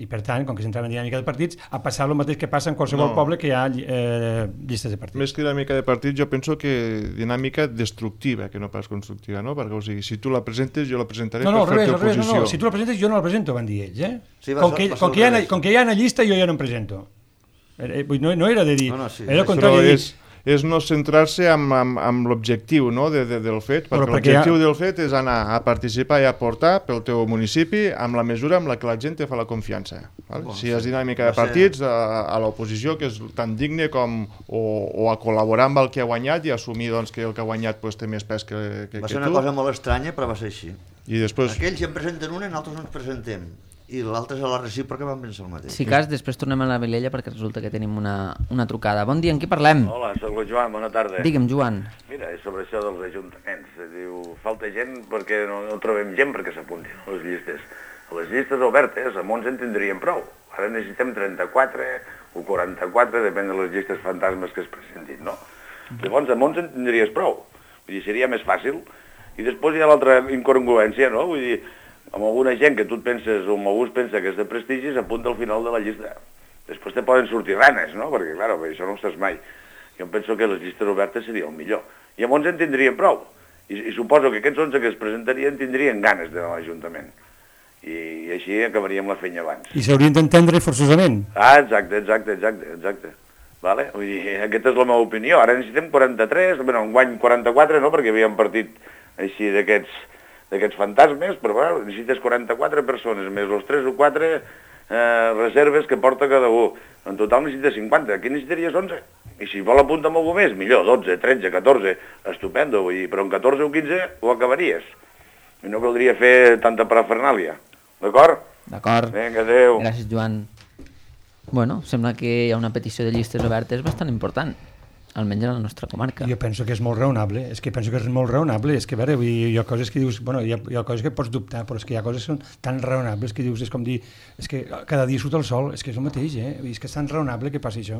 I per tant, com que s'entrava en dinàmica de partits, ha passat el mateix que passa en qualsevol no. poble que hi ha eh, llistes de partits. Més que dinàmica de partits, jo penso que dinàmica destructiva, que no pas constructiva, no? Perquè, o sigui, si tu la presentes, jo la presentaré no, no, per fer-te oposició. No, no, si tu la presentes, jo no la presento, van dir ells, eh? Sí, va, com, que, va, com, que hi ha, com que hi ha una llista, jo ja no em presento. No, no era de dir, no, no, sí. Era el contrari de dir... és no centrar-se amb, amb, amb l'objectiu, no, de, de, del fet, perquè, perquè l'objectiu ha... del fet és anar a participar i aportar pel teu municipi amb la mesura amb la que la gent te fa la confiança. Val? Bon, si és dinàmica de partits, a, a l'oposició, que és tan digne com o, o a col·laborar amb el que ha guanyat i assumir doncs, que el que ha guanyat pues, té més pes que, que, que tu. Va ser una cosa molt estranya, però va ser així. I després... Aquells ja en presenten una i nosaltres no ens presentem. I l'altre és a la recíproca vam pensar el mateix. Si cas, després tornem a la Vilella perquè resulta que tenim una, una trucada. Bon dia, en qui parlem? Hola, soc el Joan, bona tarda. Digue'm, Joan. Mira, és sobre això dels ajuntaments. Diu, falta gent perquè no, no trobem gent perquè s'apunti a les llistes. A les llistes obertes, amb onze en tindríem prou. Ara necessitem trenta-quatre o quaranta-quatre, depèn de les llistes fantasmes que es presentin, no? Llavors, amb onze en tindries prou. Vull dir, seria més fàcil. I després hi ha l'altra incongruència, no? Vull dir, amb alguna gent que tu et penses, o amb algú es pensa que és de prestigi, s'apunta al final de la llista. Després te poden sortir ranes, no? Perquè, clar, això no ho saps mai. Jo penso que les llistes obertes seria el millor. I amb onze en tindrien prou. I, i suposo que aquests onze que es presentarien tindrien ganes d'anar a l'Ajuntament. I, I així acabaríem la feina abans. I s'haurien d'entendre forçosament. Ah, exacte, exacte, exacte, exacte. Vale? Vull dir, aquesta és la meva opinió. Ara necessitem quaranta-tres, bueno, enguany quaranta-quatre, no?, perquè havíem partit així d'aquests d'aquests fantasmes, però bueno, necessites quaranta-quatre persones, més els tres o quatre eh, reserves que porta cada un. En total necessites cinquanta, aquí necessitaries onze. I si vol apuntar amb algú més, millor, dotze, tretze, catorze, estupendo, vull dir, però en catorze o quinze ho acabaries. I no caldria fer tanta parafernàlia, d'acord? D'acord. Vinga, adéu. Gràcies, Joan. Bueno, sembla que hi ha una petició de llistes obertes bastant important, almenys a la nostra comarca. Jo penso que és molt raonable, és que penso que és molt raonable, és que, a veure, vull dir, hi ha coses que dius, bueno, hi ha, hi ha coses que pots dubtar, però és que hi ha coses que són tan raonables que dius, és com dir, és que cada dia surt el sol, és que és el mateix, eh? Vull dir, és que és tan raonable que passi això.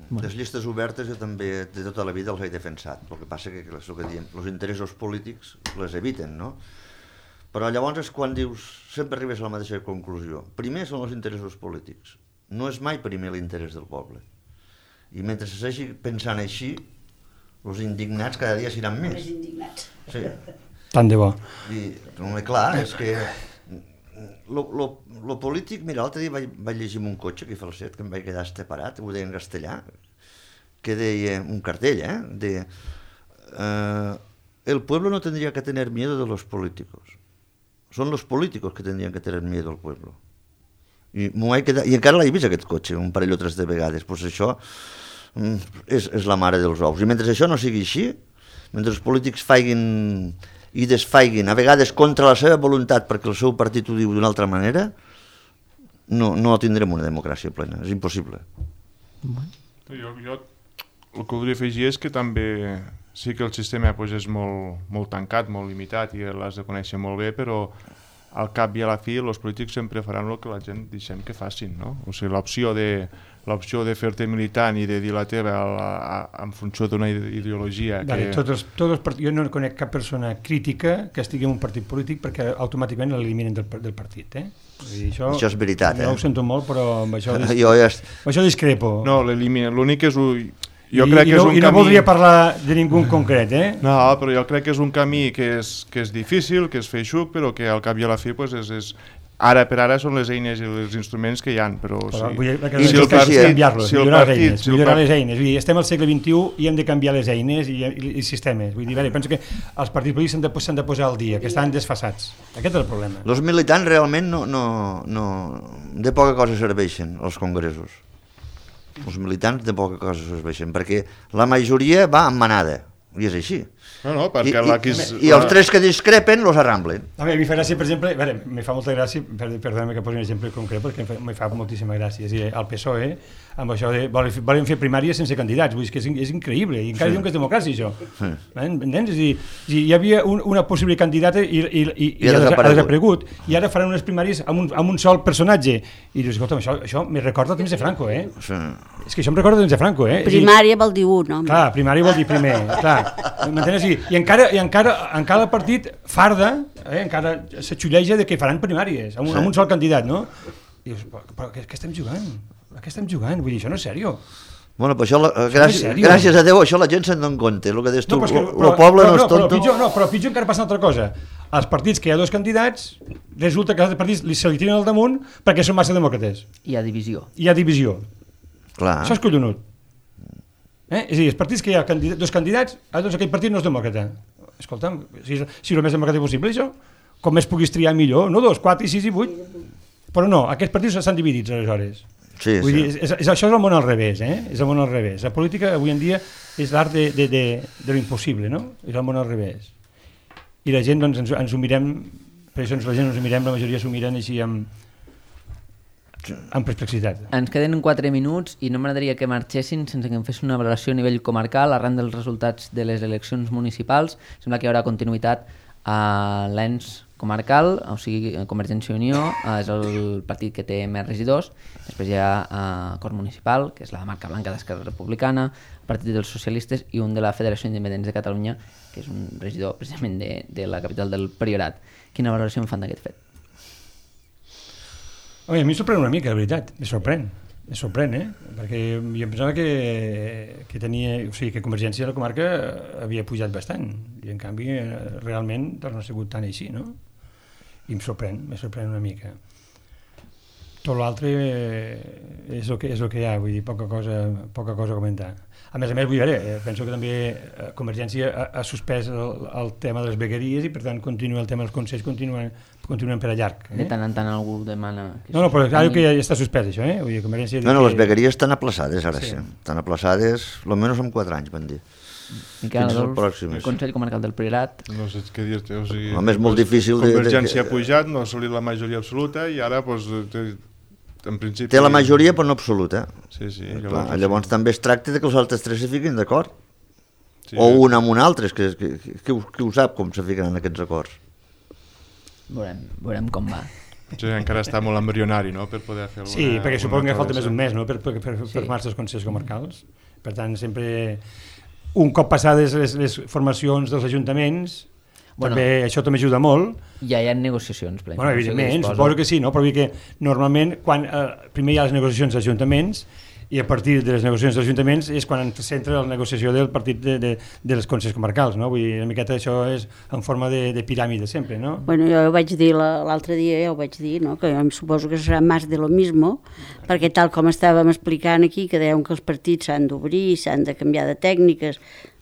Bueno. Les llistes obertes jo també de tota la vida els he defensat, el que passa que, és el que diem, els interessos polítics les eviten, no? Però llavors és quan dius, sempre arribes a la mateixa conclusió. Primer són els interessos polítics, no és mai primer l'interès del poble. I mentre se segueixi pensant així, els indignats cada dia seran més. Els indignats. Sí. Tant de bo. I, no, clar, és que lo, lo, lo polític, mira, l'altre dia vaig, vaig llegir un cotxe aquí a Falset, que em vaig quedar esteparat, ho deia en castellà, que deia un cartell, eh? De, eh, el pueblo no tendría que tener miedo de los políticos. Son los políticos que tendrían que tener miedo al pueblo. I, quedat, i encara l'he vist aquest cotxe un parell o tres de vegades, doncs això és, és la mare dels ous. I mentre això no sigui així, mentre els polítics faiguin i desfaiguin, a vegades contra la seva voluntat perquè el seu partit ho diu d'una altra manera, no, no tindrem una democràcia plena, és impossible. Jo, jo el que voldria afegir és que també sí que el sistema pues, és molt, molt tancat, molt limitat i l'has de conèixer molt bé, però al cap i a la fi els polítics sempre faran el que la gent deixem que facin, no? O sigui, l'opció de, l'opció de fer-te militant i de dir la teva a, a, a, en funció d'una ideologia que... Dale, tots els, tots els part... Jo no conec cap persona crítica que estigui en un partit polític perquè automàticament l'eliminen del, del partit, eh? Dir, això, això és veritat, eh? Jo ho sento molt, però amb això, dis... jo ja... amb això discrepo. No, l'únic és... Jo I, crec que i, no, és un i no camí... voldria parlar de ningú en concret, eh? No, però jo crec que és un camí que és, que és difícil, que és feixuc, però que al cap i a la fi pues, és, és ara per ara són les eines i els instruments que hi ha, però... Però sí. vull dir, que I si el que sí, és canviar-los, si el millorar les partit- eines, si el millorar part- les eines. Vull dir, estem al segle vint-i-u i hem de canviar les eines i, i, i sistemes. Vull dir, veure, penso que els partits polítics s'han de, s'han de posar al dia, que estan desfasats. Aquest és el problema. Els militants realment no, no, no, de poca cosa serveixen als congressos. Els militants de poca cosa serveixen, perquè la majoria va en manada, i és així. No, no, perquè I, la, i, la, i els tres que discrepen los arramblen. A mi, a mi fa gràcia, per exemple, a veure, me fa molta gràcia, per, perdona que posi un exemple concret, perquè em fa, me fa moltíssima gràcia. És a dir, el P S O E, amb això de volen, volen fer primàries sense candidats, vull dir, que és, és increïble, i encara sí. diuen que és democràcia, això. Sí. Entens? És a dir, hi havia un, una possible candidata i, i, i, i, I ha desaparegut. ha desaparegut, i ara faran unes primàries amb un, amb un sol personatge. I dius, escolta, això, això me recorda temps de Franco, eh? Sí. És que això em recorda temps de Franco, eh? Primària vol dir un, home. Clar, primària vol dir primer, clar. M'entens? I, i encara, i encara, encara el partit farda, eh, encara se xulleja de que faran primàries, amb un, amb un sol candidat, no? I dius, però, però què, què estem jugant? A què estem jugant? Vull dir, això no és sèrio. Bueno, però això, la, gràcies, sèrio? gràcies a Déu, això la gent se'n dona compte. El que deies tu, No, però, és que, el però, poble però, no és però, tonto. pitjor, no, però pitjor encara passa una altra cosa. Als partits que hi ha dos candidats, resulta que els altres partits li, se li tiren al damunt perquè són massa demòcrates. Hi ha divisió. Hi ha divisió. Clar. Això és collonut. Eh? És a dir, els partits que hi ha candidat, dos candidats, a doncs aquell partit no és demòcrata. Escolta'm, si és, si és el més demòcrata possible, això, com més puguis triar millor, no dos, quatre, sis i vuit. Però no, aquests partits estan dividits, aleshores. Sí, Vull sí. dir, és, és, això és el món al revés, eh? És el món al revés. La política avui en dia és l'art de, de, de, de l'impossible, no? És el món al revés. I la gent, doncs, ens, ens ho mirem, per això ens, la gent ens ho mirem, la majoria s'ho miren així amb, amb perplexitat. Ens queden quatre minuts i no m'agradaria que marxessin sense que em fes una valoració a nivell comarcal arran dels resultats de les eleccions municipals. Sembla que hi haurà continuïtat a l'ens comarcal, o sigui, Convergència i Unió eh, és el partit que té més regidors. Després hi ha eh, Cort Municipal, que és la marca blanca d'Esquerra Republicana, el Partit dels Socialistes i un de la Federació Independents de Catalunya, que és un regidor precisament de, de la capital del Priorat. Quina valoració en fan d'aquest fet? Oi, a mi em sorprèn una mica, de veritat, me sorprèn. Me sorprèn, eh? Perquè jo em pensava que, que tenia... O sigui, que Convergència de la comarca havia pujat bastant, i en canvi realment doncs, no ha sigut tan així, no? I em sorprèn, me sorprèn una mica. Tot l'altre és el que és el que hi ha, vull dir, poca cosa, poca cosa a comentar. A més a més, vull dir, eh, penso que també Convergència ha, ha suspès el, el tema de les vegueries i per tant continua el tema dels consells, continuen, continuen per a llarg. Eh? De tant en tant algú demana... Que no, no, però clar que ja està suspès això, eh? Vull dir, Convergència... No, no, que... les vegueries estan aplaçades ara, sí. Sí. Estan aplaçades, almenys en quatre anys, van dir. Miquel Fins al Adolf, pròxim. el Consell Comarcal del Priorat. No sé què dir-te, o sigui... Home, és molt difícil de- de- Convergència ha pujat, no ha assolit la majoria absoluta i ara, doncs, té, en principi... Té la majoria, però no absoluta. Sí, sí. Clar, llavors també es tracta de que els altres tres se fiquin d'acord. Sí. O un amb un altre, que, que, que, que, ho, que ho sap com se fiquen en aquests acords. Veurem, veurem com va. Sí, encara està molt embrionari, no?, per poder fer alguna... Sí, perquè suposo que alguna falta més un mes, no?, per, per, per, per Sí. formar-se els consells comarcals. Per tant, sempre, un cop passades les, les formacions dels ajuntaments, Bueno. també, això també ajuda molt. Ja hi ha negociacions. Ple, Bueno, evidentment, suposo que sí, no? Però vull dir que normalment, quan, eh, primer hi ha les negociacions dels ajuntaments, i a partir de les negociacions dels ajuntaments és quan s'entra la negociació del partit de, de, de les consells comarcals, no? Vull dir, una miqueta això és en forma de, de piràmide sempre, no? Bueno, jo ho vaig dir la- l'altre dia, ja ho vaig dir, no? Que jo em suposo que serà més de lo mismo, perquè tal com estàvem explicant aquí, que deuen que els partits s'han d'obrir, s'han de canviar de tècniques,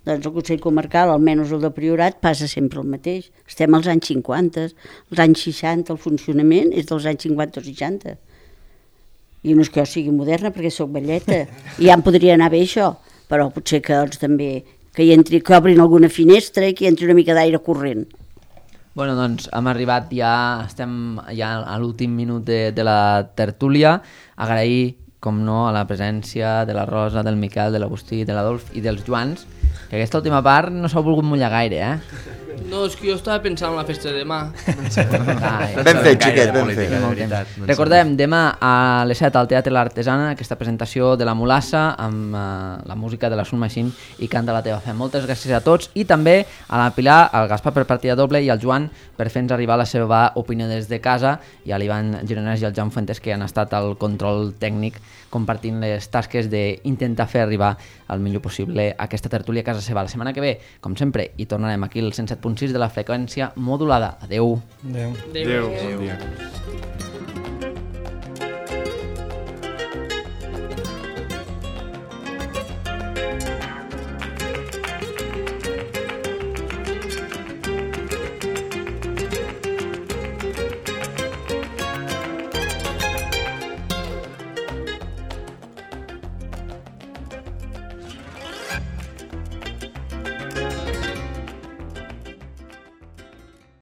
doncs el Consell Comarcal, almenys el de Priorat, passa sempre el mateix. Estem als anys cinquanta, als anys seixanta, el funcionament és dels anys cinquanta o seixanta. I no és que jo sigui moderna perquè sóc velleta, i ja em podria anar bé això, però potser que doncs, també que hi entri, que obrin alguna finestra i que hi entri una mica d'aire corrent. Bueno, doncs hem arribat ja, estem ja a l'últim minut de, de la tertúlia. Agrair, com no, a la presència de la Rosa, del Miquel, de l'Agustí, de l'Adolf i dels Joans, que aquesta última part no s'ha volgut mullar gaire, eh? No, és que jo estava pensant en la festa de demà. Ai, Ben fet, xiquet, ben fet. Molt temps. Recordem, demà a les set al Teatre L'Artesana, aquesta presentació de la Mulassa amb uh, la música de la Sun Machine i Canta la teva fe. Moltes gràcies a tots i també a la Pilar, al Gaspar per partida doble i al Joan per fer-nos arribar la seva opinió des de casa, i a l'Ivan Gironès i al Joan Fuentes, que han estat al control tècnic compartint les tasques d'intentar fer arribar el millor possible aquesta tertúlia a casa seva. La setmana que ve, com sempre, hi tornarem aquí al cent set punt sis de la freqüència modulada. Adeu. Adéu. Adéu. Adéu. Bon dia. Adéu.